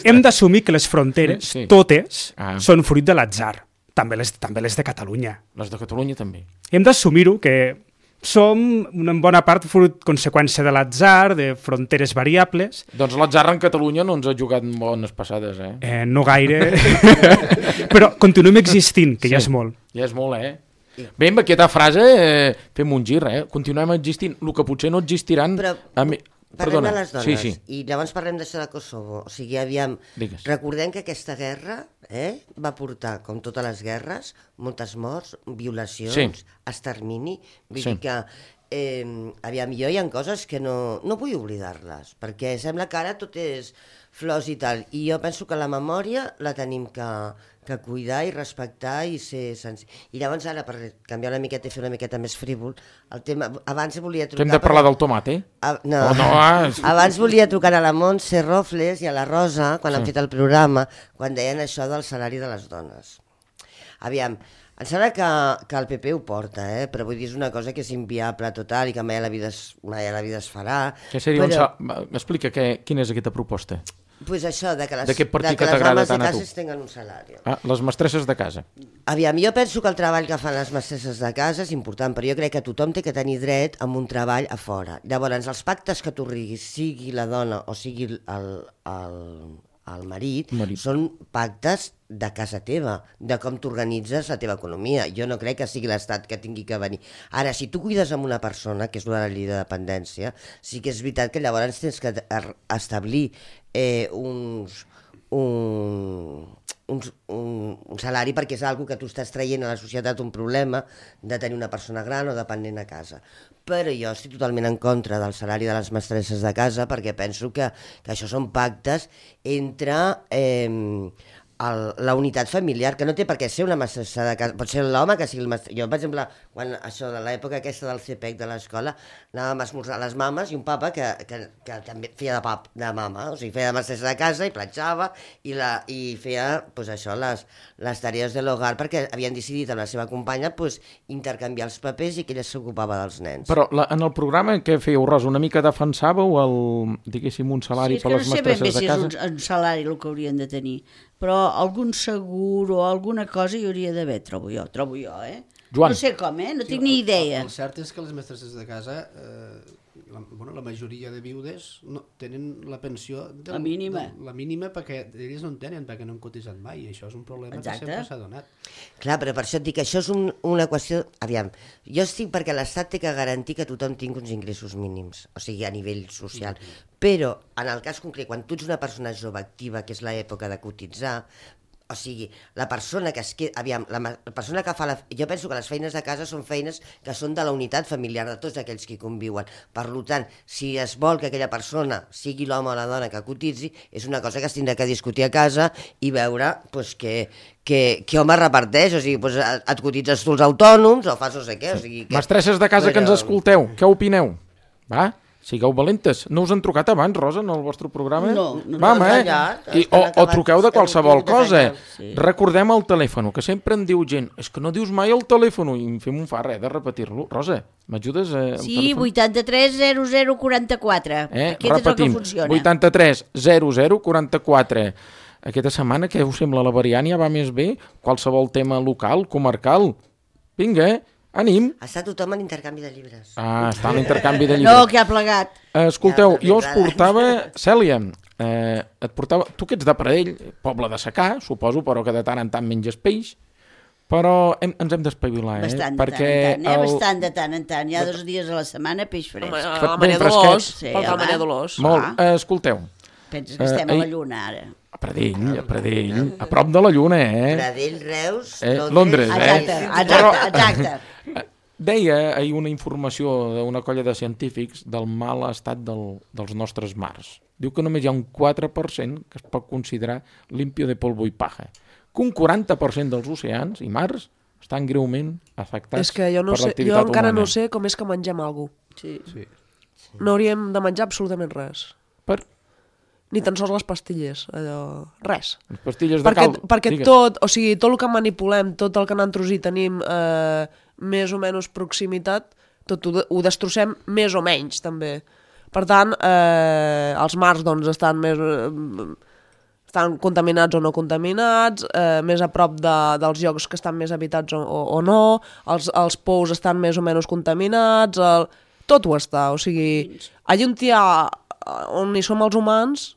Hem d'assumir que les fronteres, totes, són fruit de l'atzar. També les de Catalunya. Les de Catalunya també. Hem d'assumir-ho, que som en bona part conseqüència de l'atzar, de fronteres variables. Doncs l'atzar en Catalunya no ens ha jugat bones passades, no gaire, però continuem existint, que ja és molt. Ja és molt, Bé, amb aquesta frase fem un gir, continuem existint. El que potser no existiran... Parlem de les dones, i llavors parlem d'això de Kosovo. O sigui, aviam, recordem que aquesta guerra va portar, com totes les guerres, moltes morts, violacions, extermini. Vull dir que, aviam, jo hi ha coses que no vull oblidar-les, perquè sembla que ara tot és flors i tal, i jo penso que la memòria la tenim que cuidar i respectar i ser sensible. I llavors ara, per canviar una miqueta i fer una miqueta més frívol, el tema... Abans volia trucar... Que hem de parlar del tomat, No. Abans volia trucar a la Montse Rofles i a la Rosa, quan han fet el programa, quan deien això del salari de les dones. Aviam, em sembla que el PP ho porta, però vull dir, és una cosa que és inviable total i que mai a la vida es farà. Què seria Explica quina és aquesta proposta. Pues això, de que les dones de casa tinguen un salari. Les mestresses de casa. Aviam, jo penso que el treball que fan les mestresses de casa és important, però jo crec que tothom té que tenir dret a un treball a fora. Llavors, els pactes que tu riguis, sigui la dona o sigui el marit, són pactes de casa teva, de com t'organitzes la teva economia. Jo no crec que sigui l'Estat que tingui que venir. Ara, si tu cuides amb una persona, que és la llei de dependència, sí que és veritat que llavors tens que establir un salari perquè és algo que tu estàs traient a la societat, un problema de tenir una persona gran o dependent a casa. Però jo estic totalment en contra del salari de les mestresses de casa perquè penso que això són pactes entre la unitat familiar, que no té per què ser una mestressa de casa, pot ser l'home que sigui el mestre. Jo, per exemple, quan això de l'època aquesta del CPEC de l'escola, anàvem a esmorzar les mames i un papa que també feia de mama, o sigui, feia de mestressa de casa i platjava i feia, pues, això, les tarees de l'hogar, perquè havien decidit amb la seva companya pues, intercanviar els papers i que ella s'ocupava dels nens. Però en el programa què fèieu, Rosa? Una mica defensàveu diguéssim, un salari per les mestresses de casa? Sí, és que no sé ben bé si és un salari el que haurien de tenir, però algun segur o alguna cosa hi hauria d'haver, trobo jo, Joan. No sé com, no tinc ni idea. El cert és que les mestresses de casa, la majoria de viudes tenen la pensió... La mínima. La mínima perquè elles no en tenen, perquè no han cotitzat mai, i això és un problema que sempre s'ha donat. Clar, però per això et dic que això és una qüestió... Aviam, jo estic perquè l'Estat té que garantir que tothom tingui uns ingressos mínims, o sigui, a nivell social. Però, en el cas concret, quan tu ets una persona jove activa, que és l'època de cotitzar, o sigui, la persona que es queda... Aviam, la persona que fa jo penso que les feines de casa són feines que són de la unitat familiar de tots aquells que hi conviuen. Per tant, si es vol que aquella persona sigui l'home o la dona que cotitzi, és una cosa que es tindrà que discutir a casa i veure pues, que home reparteix, o sigui, pues, et cotitzes tu els autònoms o fas no sé què. O sigui, mestresses de casa que ens escolteu, què opineu? Va? Sigueu valentes. No us han trucat abans, Rosa, en el vostre programa? No. Vam, o truqueu de qualsevol cosa. Sí. Recordem el telèfon, que sempre em diu gent, és que no dius mai el telèfon, i em fem un fa res de repetir-lo. Rosa, m'ajudes al telèfon? Sí, 83 00 44. Aquest repetim, és el que funciona. 83 00 44. Aquesta setmana, què us sembla? La variant ja va més bé? Qualsevol tema local, comarcal? Vinga, ànim. Està tothom en intercanvi de llibres. Està en intercanvi de llibres. No, que ha plegat. Escolteu, jo us portava... Cèlia, et portava... Tu que ets de Pradell, poble de secà, suposo, però que de tant en tant menges peix, però ens hem d'espavilar, Bastant perquè bastant de tant en tant. Hi ha 2 dies a la setmana peix fresc. A la Maria Dolors. A la Maria Dolors. Molt. Escolteu. Penses que estem a la Lluna, ara. A Pradell, a prop de la Lluna, Pradell, Reus, Londres. Exacte. Deia ahir una informació d'una colla de científics del mal estat dels nostres mars. Diu que només hi ha un 4% que es pot considerar limpio de polvo i paja. Que un 40% dels oceans i mars estan greument afectats per l'activitat humana. Jo encara no sé com és que mengem alguna cosa. Sí. No hauríem de menjar absolutament res. Ni tan sols les pastilles, res. Les pastilles de cal... Perquè tot el que manipulem, tot el que nosaltres hi tenim més o menys proximitat, tot ho destrossem més o menys, també. Per tant, els mars doncs, estan contaminats o no contaminats, més a prop dels llocs que estan més habitats o no, els pous estan més o menys contaminats, tot ho està. O sigui, allà on hi som els humans,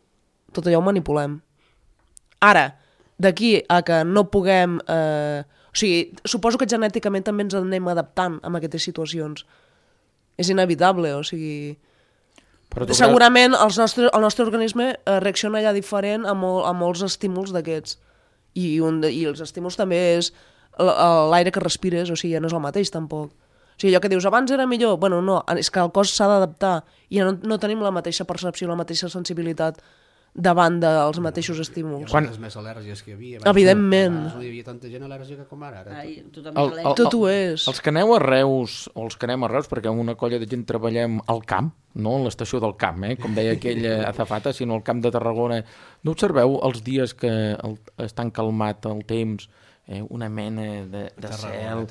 tot allò ho manipulem. Ara, d'aquí a que no puguem... suposo que genèticament també ens anem adaptant a aquestes situacions. És inevitable, o sigui... Segurament el nostre organisme reacciona ja diferent a molts estímuls d'aquests. I els estímuls també és l'aire que respires, o sigui, ja no és el mateix tampoc. O sigui, allò que dius, abans era millor, bueno, no, és que el cos s'ha d'adaptar i no tenim la mateixa percepció, la mateixa sensibilitat davant dels mateixos estímuls. Quantes més al·lèrgies que hi havia? Evidentment. No hi havia tanta gent al·lèrgica com ara. Tot ho és. Els que aneu a Reus, perquè amb una colla de gent treballem al camp, no en l'estació del camp, com deia aquella azafata, sinó al camp de Tarragona, no observeu els dies que estan calmat el temps, una mena de cel,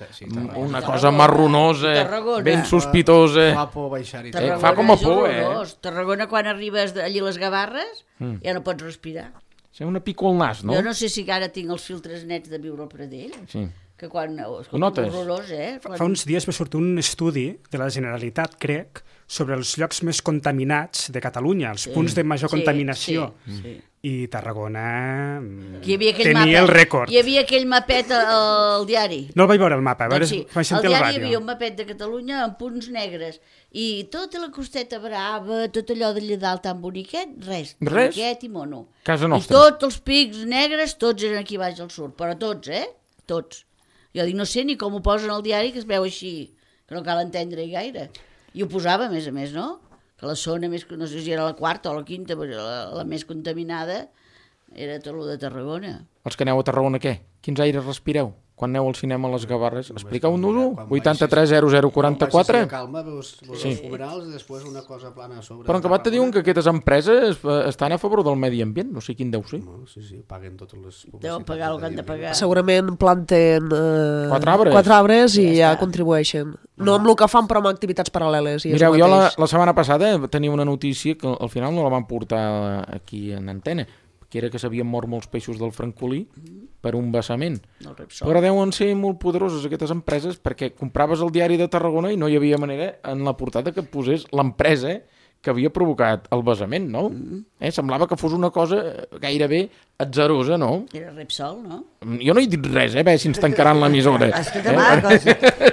una cosa marronosa, ben sospitosa. Fa por baixar-hi. Fa com a por, Tarragona, quan arribes allí a les Gavarres, ja no pots respirar. Sí, una pico al nas, no? Jo no sé si ara tinc els filtres nets de viure al Pradell. Sí. Que quan... Ho notes? Horrorós, Fa uns dies va sortir un estudi de la Generalitat, crec, sobre els llocs més contaminats de Catalunya, els punts de major contaminació. i Tarragona tenia el rècord. Hi havia aquell mapet al diari. No el vaig veure, el mapa, Doncs sí, al diari hi havia un mapet de Catalunya amb punts negres i tota la costeta brava, tot allò d'allà dalt tan boniquet, res, boniquet i mono. Casa nostra. I tots els pics negres, tots eren aquí baix al sud, però tots, tots. Jo dic, no sé ni com ho posen al diari, que es veu així, que no cal entendre-hi gaire. I ho posava, a més, no? Que la zona més, no sé si era la quarta o la quinta, però la més contaminada era tot el de Tarragona. Els que aneu a Tarragona, què? Quins aires respireu? Quan aneu al cinema a les Gavarres? Expliqueu-nos-ho. 83 00 44. Calma, veus els fumerals i després una cosa plana a sobre. Però en acabat te diuen que aquestes empreses estan a favor del medi ambient. No sé quin deu ser. Sí, paguen totes les publicitats. Deuen pagar el que han de pagar. Segurament planten 4 arbres i ja contribueixen. No amb el que fan, però amb activitats paral·leles. Mireu, jo la setmana passada tenia una notícia que al final no la van portar aquí en antena, que era que s'havien mort molts peixos del francolí per un vessament. Però deuen ser molt poderoses aquestes empreses perquè compraves el diari de Tarragona i no hi havia manera en la portada que posés l'empresa que havia provocat el vessament, no? Semblava que fos una cosa gairebé atzerosa, no? Era Repsol, no? Jo no he dit res, a veure si ens tancaran l'emissora.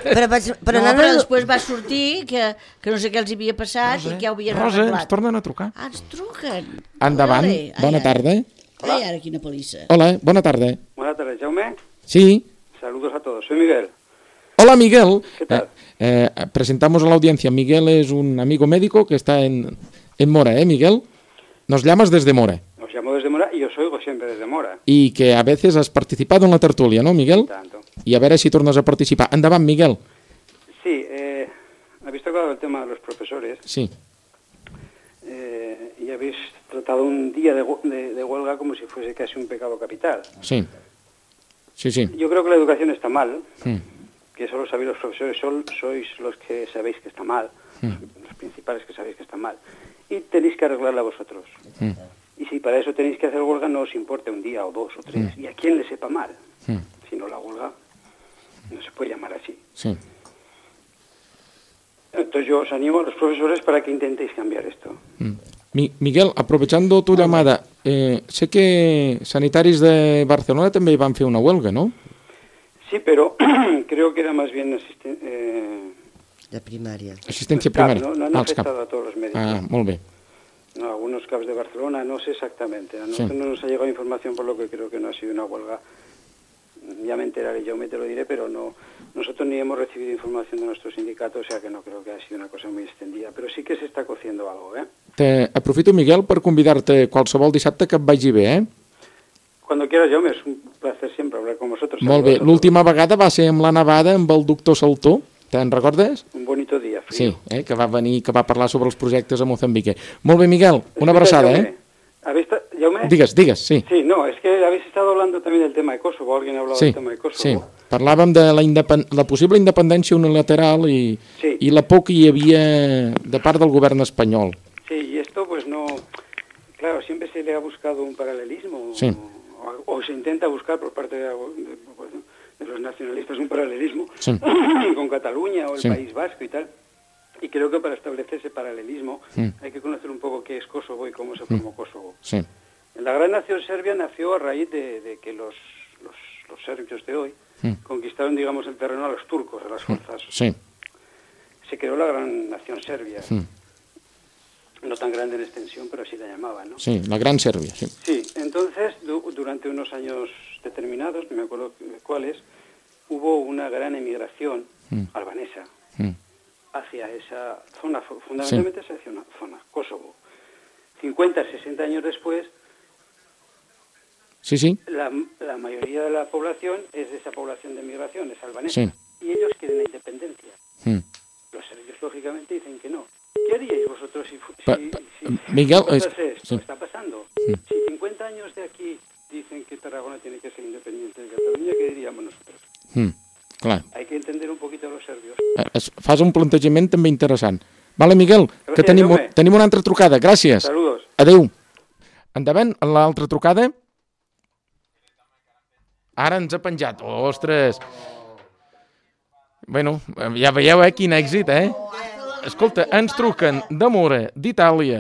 Però després va sortir que no sé què els havia passat i que ja ho havien arreglat. Rosa, ens tornen a trucar. Ens truquen. Endavant, bona tarda. Ai, ara quina pelissa. Hola, bona tarda. Buenas tardes, Jaume. Sí. Saludos a todos, soy Miguel. Hola, Miguel. ¿Qué tal? Presentamos a la audiencia. Miguel es un amigo médico que está en Mora, Miguel? Nos llamas desde Mora. Os llamo desde Mora y os oigo siempre desde Mora. Y que a veces has participado en la tertulia, ¿no, Miguel? Tanto. Y a ver si tornas a participar. Endavant, Miguel. Sí, habéis tocado el tema de los profesores. Sí. Y habéis tratado un día de huelga como si fuese casi un pecado capital. Sí. Sí, sí. Yo creo que la educación está mal, que solo sabéis los profesores, sois los que sabéis que está mal, los principales que sabéis que está mal, y tenéis que arreglarla vosotros. Y si para eso tenéis que hacer huelga, no os importe un día o 2 o 3, y a quien le sepa mal. Si no, la huelga no se puede llamar así. Sí. Entonces yo os animo a los profesores para que intentéis cambiar esto. Miguel, aprovechando tu llamada, sé que sanitaris de Barcelona també van fer una huelga, ¿no? Sí, pero creo que era más bien de primària. Assistència primària. Claro, no han afectado a todos los médicos. Ah, molt bé. No, algunos CAPs de Barcelona, no sé exactamente. A nosotros no nos ha llegado información, por lo que creo que no ha sido una huelga. Ya me enteraré, yo me te lo diré, pero no, nosotros ni hemos recibido información de nuestro sindicato, o sea que no creo que haya sido una cosa muy extendida. Pero sí que se está cociendo algo, Aprofito, Miguel, per convidar-te qualsevol dissabte que et vagi bé, Cuando quieras, Jaume, es un placer siempre hablar con vosotros. Molt bé, l'última vegada va ser amb la nevada amb el doctor Saltó, te'n recordes? Un bonito dia, frío. Sí, que va venir, que va parlar sobre els projectes a Mozambique. Molt bé, Miguel, una abraçada, Jaume? Digues, sí. Sí, no, es que habéis estado hablando también del tema de Kosovo, alguien ha hablado del tema de Kosovo. Sí, parlàvem de la possible independència unilateral i la por que hi havia de part del govern espanyol. Sí, y esto pues no... Claro, siempre se le ha buscado un paralelismo, o se intenta buscar por parte de los nacionalistas un paralelismo con Cataluña o el País Vasco y tal. Y creo que para establecer ese paralelismo hay que conocer un poco qué es Kosovo y cómo se formó Kosovo. Sí. La gran nación serbia nació a raíz de que los serbios de hoy conquistaron, digamos, el terreno a los turcos, a las fuerzas. Sí. Se creó la gran nación serbia. No tan grande en extensión, pero así la llamaban, ¿no? Sí, la Gran Serbia, sí. Sí, entonces, durante unos años determinados, no me acuerdo cuáles, hubo una gran emigración albanesa hacia esa zona, fundamentalmente hacia una zona, Kosovo. 50, 60 años después, la mayoría de la población es de esa población de emigración, es albanesa, y ellos quieren la independencia. Los serbios, lógicamente, dicen que no. ¿Qué haríais vosotros si Miguel, esto está pasando? Si 50 años de aquí dicen que Tarragona tiene que ser independiente de Cataluña, ¿qué diríamos nosotros? Clar. Hay que entender un poquito a los serbios. Fas un plantejament també interessant. Vale, Miguel, gràcies, que tenim una altra trucada. Gràcies. Saludos. Adéu. Endavant, l'altra trucada. Ara ens ha penjat. Ostres. Bueno, ja veieu, quin èxit, Escolta, ens truquen de Mora, d'Itàlia.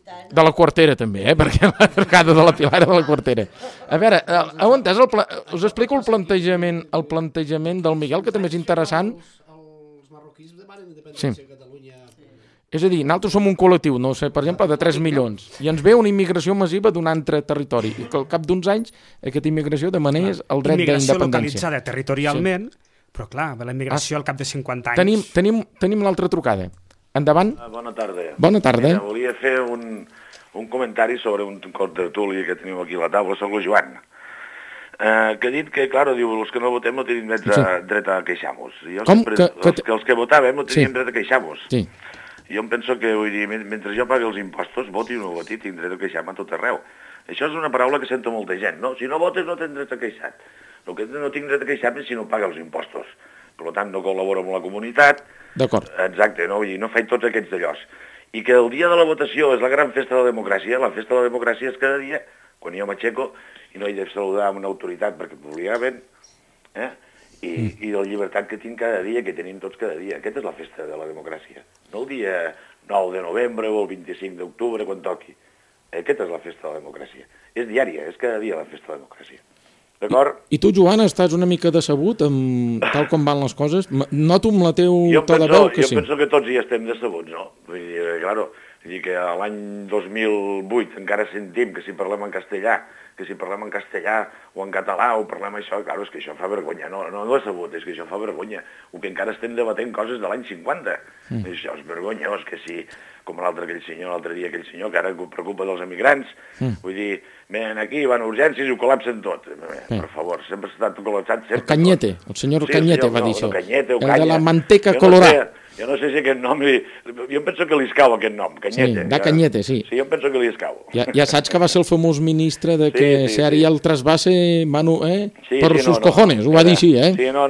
De la Quartera, també, perquè la trucada de la Pilar era de la Quartera. A veure, heu entès? Us explico el plantejament del Miguel, que també és interessant. Els marroquins demanen Sí. independència a Catalunya. És a dir, nosaltres som un col·lectiu, no sé, per exemple, de 3 milions, i ens ve una immigració massiva d'un altre territori, i que al cap d'uns anys aquesta immigració demanés el dret d'independència. Immigració localitzada territorialment, però clar, la immigració al cap de 50 anys... Tenim l'altra trucada. Endavant. Bona tarda. Bona tarda. Mira, volia fer un comentari sobre un contertuli que teniu aquí a la taula, soc el Joan, que ha dit que, clar, diu, els que no votem no tenim dret a queixar-nos. Com? Els que votàvem no teníem dret a queixar-nos. Sí. Jo em penso que, vull dir, mentre jo pagui els impostos, voti o no voti, tinc dret a queixar-me a tot arreu. Això és una paraula que sento molta gent, no? Si no votes no tens dret a queixar. El que no tinc dret a queixar-me és si no paga els impostos. Per tant, no col·laboro amb la comunitat. D'acord. Exacte, no? Vull dir, no faig tots aquests d'allòs. I que el dia de la votació és la gran festa de la democràcia. La festa de la democràcia és cada dia, quan jo m'aixeco i no he de saludar amb una autoritat perquè m'obligaven, i la llibertat que tinc cada dia, que tenim tots cada dia. Aquesta és la festa de la democràcia. No el dia 9 de novembre o el 25 d'octubre, quan toqui. Aquesta és la festa de la democràcia. És diària, és cada dia la festa de la democràcia. D'acord? I tu, Joan, estàs una mica decebut amb tal com van les coses? Noto amb la teu to de veu que sí. Jo penso que tots hi estem decebuts, no? Vull dir, claro, que a l'any 2008 encara sentim que si parlem en castellà, o en català, o parlem això, clar, és que això fa vergonya. No decebut, és que això fa vergonya. O que encara estem debatent coses de l'any 50. Això és vergonyós, que si, com l'altre dia aquell senyor, que ara es preocupa dels emigrants, vull dir, venen aquí, van a urgències i ho col·lapsen tot. Per favor, sempre s'ha estat col·lapsat. El Cañete, el senyor Cañete va dir això. El de la manteca colorada. Jo no sé si aquest nom... Jo penso que li escau aquest nom, Cañete. Sí, da Cañete, sí. Sí, jo penso que li escau. Ja saps que va ser el famós ministre de que se haria el trasvase per sus cojones, ho va dir així, Sí, no,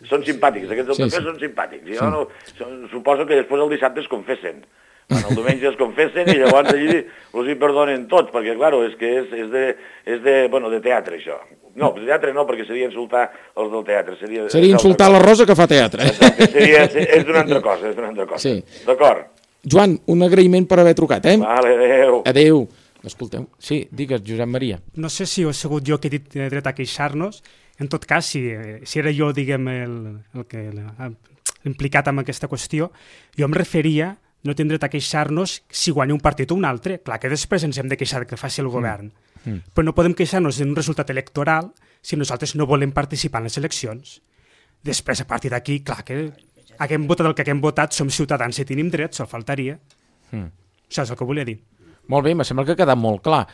són simpàtics, aquests del PP són simpàtics. Jo suposo que després el dissabte es confessen. El diumenge es confessen i llavors allí els hi perdonen tots, perquè, clar, és que és de teatre, això. No, de teatre no, perquè seria insultar els del teatre. Seria insultar la Rosa que fa teatre. Exacte, és d'una altra cosa, Sí. D'acord. Joan, un agraïment per haver trucat, Vale, adéu. Adéu. Escolteu, sí, digues, Josep Maria. No sé si he sigut jo que he dit dret a queixar-nos. En tot cas, si era jo, diguem, l'implicat en aquesta qüestió, jo em referia no tindrem dret a queixar-nos si guanya un partit o un altre. Clar que després ens hem de queixar que faci el govern. Però no podem queixar-nos d'un resultat electoral si nosaltres no volem participar en les eleccions. Després, a partir d'aquí, clar que haguem votat el que haguem votat, som ciutadans i tenim drets, se'l faltaria. Això és el que volia dir. Molt bé, me sembla que ha quedat molt clar.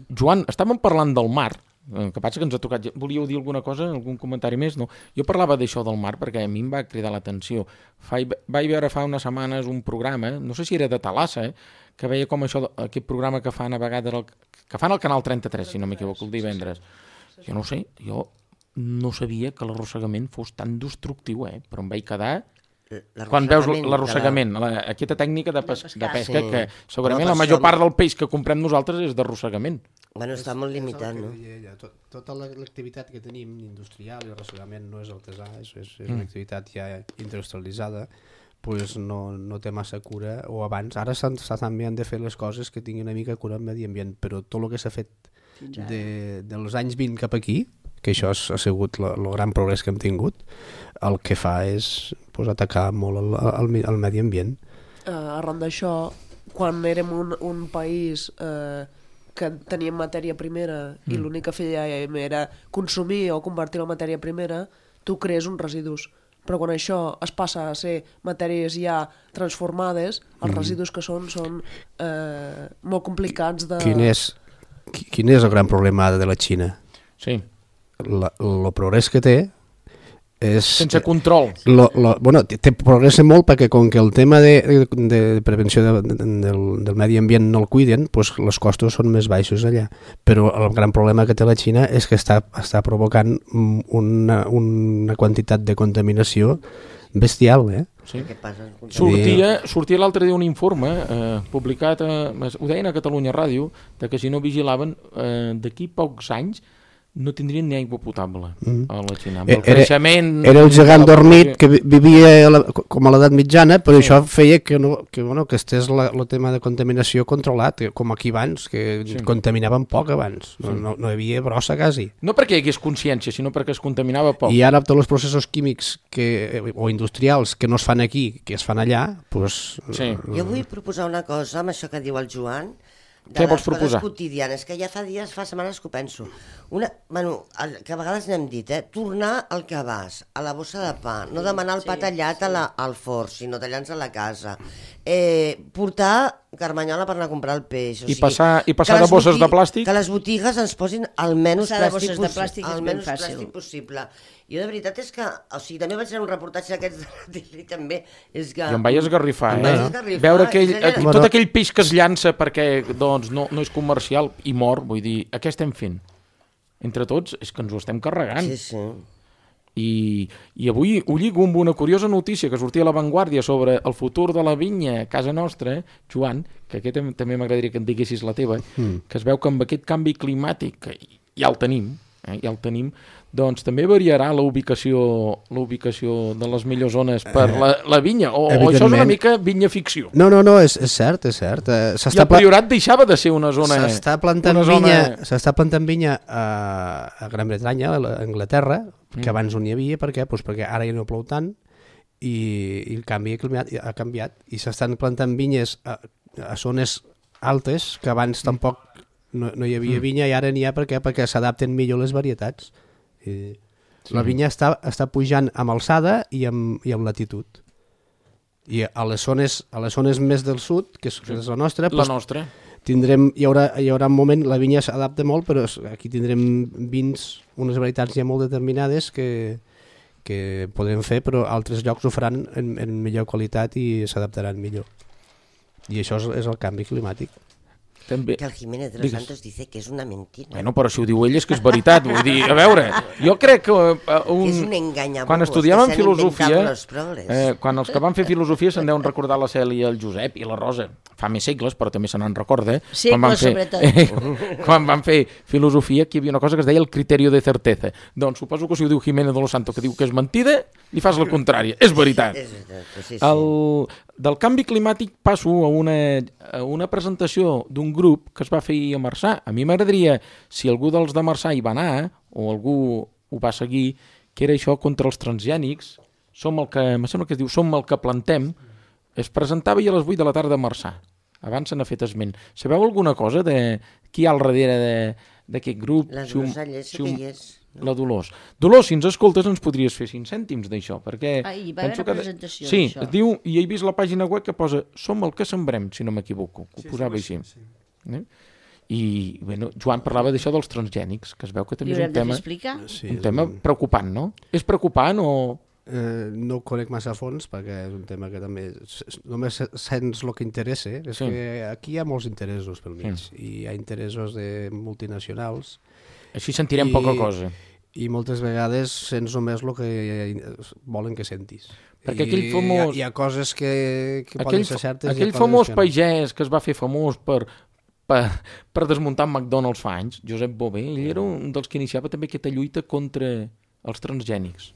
Joan, estàvem parlant del mar, que passa que ens ha tocat... Volíeu dir alguna cosa, algun comentari més? No. Jo parlava d'això del mar perquè a mi em va cridar l'atenció. Vaig veure fa unes setmanes un programa, no sé si era de Talassa, que veia com això, aquest programa que fan a vegades, que fan al Canal 33, si no m'equivoco, el divendres. Jo no sé, jo no sabia que l'arrossegament fos tan destructiu, però em vaig quedar... Quan veus l'arrossegament, aquesta tècnica de pesca, que segurament la major part del peix que comprem nosaltres és d'arrossegament. Bueno, està molt limitat, no? Tota l'activitat que tenim industrial i l'arrossegament no és artesà, és una activitat ja industrialitzada, pues no té massa cura, o abans. Ara també han de fer les coses que tinguin una mica cura al medi ambient, però tot el que s'ha fet dels anys 20 cap aquí, que això ha sigut el gran progrés que hem tingut, el que fa és atacar molt el medi ambient. Arran d'això, quan érem un país que teníem matèria primera i l'únic que fèiem era consumir o convertir la matèria primera, tu crees uns residus. Però quan això es passa a ser matèries ja transformades, els residus que són molt complicats de... Quin és el gran problema de la Xina? Sí. El progrés que té és... Sense control. Bueno, té progressa molt perquè com que el tema de prevenció del medi ambient no el cuiden, doncs els costos són més baixos allà. Però el gran problema que té la Xina és que està provocant una quantitat de contaminació bestial, Sí. Sortia l'altre dia un informe publicat, ho deien a Catalunya Ràdio, de que si no vigilaven, d'aquí pocs anys no tindrien ni aigua potable a la Xina. Amb el creixement... Era el gegant dormit que vivia com a l'edat mitjana, però això feia que estés el tema de contaminació controlat, com aquí abans, que contaminaven poc abans, no hi havia brossa quasi. No perquè hi hagués consciència, sinó perquè es contaminava poc. I ara tots els processos químics o industrials que no es fan aquí, que es fan allà, doncs... Jo vull proposar una cosa amb això que diu el Joan, què vols proposar? Coses quotidianes, que ja fa setmanes que ho penso. Que a vegades n'hem dit, tornar al que vas, a la bossa de pa, no demanar el pa tallat al forn, sinó tallant-se a la casa. Portar carmanyola per anar a comprar el peix. I passar de bosses de plàstic? Que les botigues ens posin el menys plàstic possible. Jo de veritat és que, també vaig fer un reportatge d'aquests de la tele, també, és que... I em vaig esgarrifar, veure tot aquell peix que es llança perquè no és comercial i mor, vull dir, què estem fent? Entre tots, és que ens ho estem carregant. Sí. I avui ho lligo amb una curiosa notícia que sortia a La Vanguardia sobre el futur de la vinya a casa nostra, Joan, que aquest també m'agradaria que en diguessis la teva, que es veu que amb aquest canvi climàtic, que ja el tenim, doncs també variarà la ubicació de les millors zones per la vinya, o això és una mica vinya ficció? No, és cert. I el Priorat deixava de ser una zona... S'està plantant vinya a Gran Bretanya, a Anglaterra, que abans no n'hi havia. Per què? Doncs perquè ara ja no plou tant i el canvi ha canviat. I s'estan plantant vinyes a zones altes que abans tampoc no hi havia vinya i ara n'hi ha. Per què? Perquè s'adapten millor les varietats. La vinya està pujant amb alçada i amb latitud. I a les zones més del sud, que és la nostra, hi haurà un moment, la vinya s'adapta molt, però aquí tindrem vins, unes varietats ja molt determinades que podrem fer, però altres llocs ho faran en millor qualitat i s'adaptaran millor. I això és el canvi climàtic. Que el Jiménez de los Santos dice que és una mentira. Bueno, però si ho diu ell és que és veritat. Vull dir, a veure, jo crec que... és un enganyabobos, quan estudiàvem filosofia, quan els que van fer filosofia se'n deuen recordar la Cèlia, el Josep i la Rosa. Fa més segles, però també se n'en recorda. Segles, sobretot. Quan van fer filosofia, aquí hi havia una cosa que es deia el criteri de certesa. Doncs suposo que si ho diu Jiménez de los Santos, que diu que és mentida, li fas la contrària. És veritat. Del canvi climàtic passo a una presentació d'un grup que es va fer a Marçà. A mi m'agradaria, si algú dels de Marçà hi va anar, o algú ho va seguir, que era això contra els transgènics, em sembla que es diu Som el que plantem, es presentava a les 8 de la tarda a Marçà. Abans se n'ha fet esment. Sabeu alguna cosa de qui hi ha al darrere d'aquest grup? La Dolors Allés, que hi és. La Dolors. Dolors, si ens escoltes ens podries fer 5 cèntims d'això, perquè... Hi va haver una presentació d'això. Sí, es diu, i he vist la pàgina web que posa Som el que sembrem, si no m'equivoco. Ho posava així. I, bueno, Joan parlava d'això dels transgènics, que es veu que també és un tema preocupant, no? És preocupant o... No ho conec massa a fons perquè és un tema que també només sents el que interessa. És que aquí hi ha molts interessos pel mig i hi ha interessos de multinacionals. Així sentirem poca cosa. I moltes vegades sents només el que volen que sentis. Perquè aquell famós... Hi ha coses que poden ser certes. Aquell famós pagès que es va fer famós per desmuntar McDonald's fa anys, Josep Bové, ell era un dels que iniciava també aquesta lluita contra els transgènics.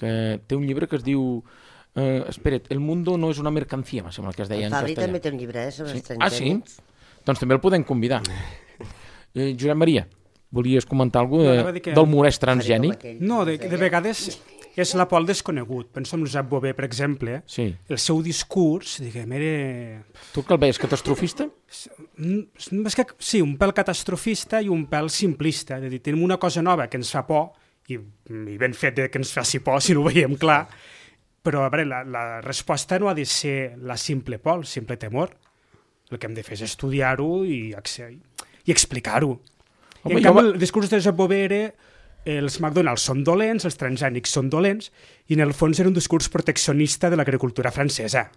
Que té un llibre que es diu espera't, El mundo no és una mercancía, em sembla que es deia en castellà. El Fabri també té un llibre sobre els transgènics. Ah, sí? Doncs també el podem convidar. Josep Maria, volies comentar alguna cosa del morès transgènic? No, de vegades és la por al desconegut. Penso en Josep Bové, per exemple, el seu discurs, diguem, era... Tu que el veies catastrofista? Sí, un pèl catastrofista i un pèl simplista. És a dir, tenim una cosa nova que ens fa por, i ben fet que ens faci por si no ho veiem clar, però a veure, la resposta no ha de ser la simple por, el simple temor. El que hem de fer és estudiar-ho i explicar-ho. En canvi, el discurs de Josep Bové era els McDonald's són dolents, els transgènics són dolents, i en el fons era un discurs proteccionista de l'agricultura francesa,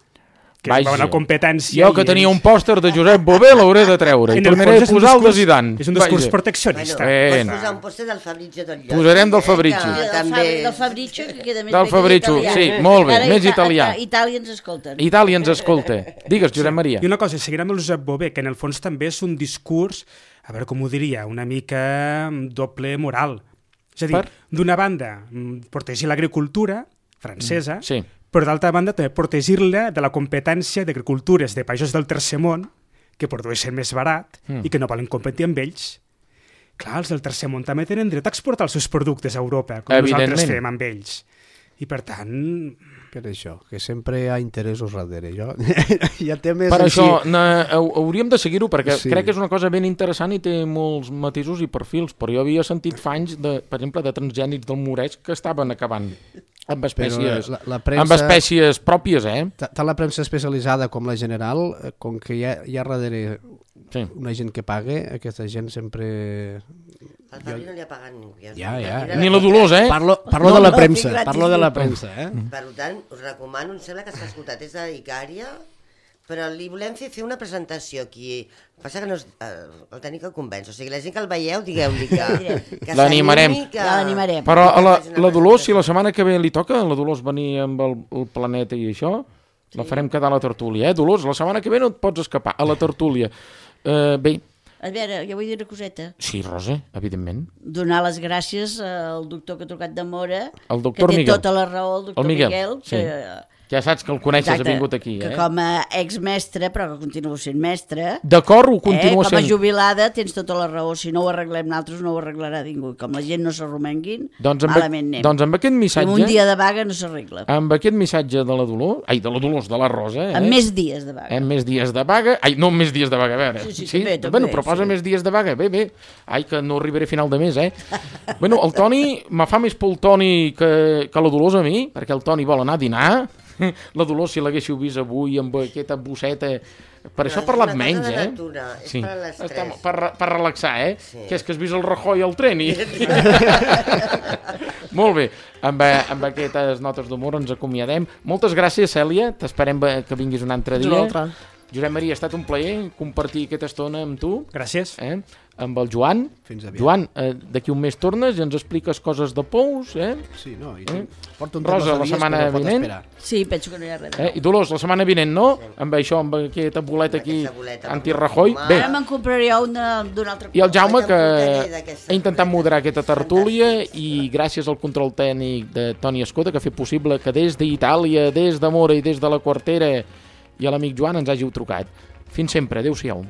que és una competència... Jo que tenia un pòster de Josep Bové l'hauré de treure, i tornaré a posar el de Zidane. És un discurs proteccionista. Pots posar un pòster del Fabrizio del Lloc. Posarem del Fabrizio. Del Fabrizio, que queda més del Fabrizio, sí, molt bé, més italià. Itàlia ens escolta. Itàlia ens escolta. Digues, Josep Maria. I una cosa, seguirem amb el Josep Bové, que en el fons també és un discurs a veure com ho diria, una mica doble moral. És a dir, d'una banda, protegir l'agricultura francesa, però d'altra banda també protegir-la de la competència d'agricultures de països del tercer món que produeixen més barat i que no volen competir amb ells. Clar, els del tercer món també tenen dret a exportar els seus productes a Europa, com nosaltres fem amb ells. I per tant... Per això, que sempre hi ha interessos darrere. Hi ha temes... Per això, hauríem de seguir-ho, perquè crec que és una cosa ben interessant i té molts matisos i perfils, però jo havia sentit fa anys, per exemple, de transgènics del Moresc que estaven acabant amb espècies, amb espècies pròpies, Tant la premsa especialitzada com la general, com que hi ha darrere una gent que paga, aquesta gent sempre... Al Fabri no li ha pagat ningú. Ni la Dolors, Parlo de la premsa, parlo de la premsa. Per tant, us recomano, em sembla que s'ha escoltat, és d'Icària, però li volem fer una presentació aquí. Passa que no el tenim que convèncer. O sigui, la gent que el veieu, digueu-li que l'animarem. L'animarem. Però la Dolors, si la setmana que ve li toca, la Dolors venir amb el planeta i això, la farem quedar a la tertúlia. Dolors, la setmana que ve no et pots escapar, a la tertúlia. Bé... A veure, jo vull dir una coseta. Sí, Rosa, evidentment. Donar les gràcies al doctor que ha trucat de Mora, que té tota la raó, el doctor Miguel, ja saps que el coneixes, ha vingut aquí. Que com a exmestre, però que continua sent mestre... D'acord, ho continua sent. Com a jubilada tens tota la raó. Si no ho arreglem nosaltres, no ho arreglarà ningú. Com la gent no s'arromenguin, malament anem. Doncs amb aquest missatge... Amb un dia de vaga no s'arregla. Amb aquest missatge de la Dolors... Ai, de la Dolors, de la Rosa... Amb més dies de vaga. Amb més dies de vaga... Ai, no amb més dies de vaga, a veure. Sí, també. Bueno, proposa més dies de vaga. Bé. Ai, que no arribaré a final de mes, Bueno, el Toni... Me fa més por el Toni que la Dolors a mi, perquè el Toni vol anar a dinar... La Dolors, si l'haguéssiu vist avui amb aquesta bosseta... Per això ha parlat menys, És per l'estrès. Per relaxar, Sí. Que és que has vist el Rajoy al tren i... Molt bé, amb aquestes notes d'humor ens acomiadem. Moltes gràcies, Cèlia, t'esperem que vinguis un altre dia. Josep Maria, ha estat un plaer compartir aquesta estona amb tu. Gràcies. Amb el Joan. Fins aviat. Joan, d'aquí un mes tornes i ens expliques coses de pous, Sí, no, porto un Rosa, la setmana vinent. Sí, penso que no hi ha res. I Dolors, la setmana vinent, no? Amb això, amb aquesta boleta aquí, anti-Rajoy. Bé. Ara me'n compraré una d'un altre color. I el Jaume, que ha intentat moderar aquesta tertúlia i gràcies al control tècnic de Toni Escoda, que ha fet possible que des d'Itàlia, des de Mora i des de la Quartera i a l'amic Joan ens hàgiu trucat. Fins sempre, adéu-siau.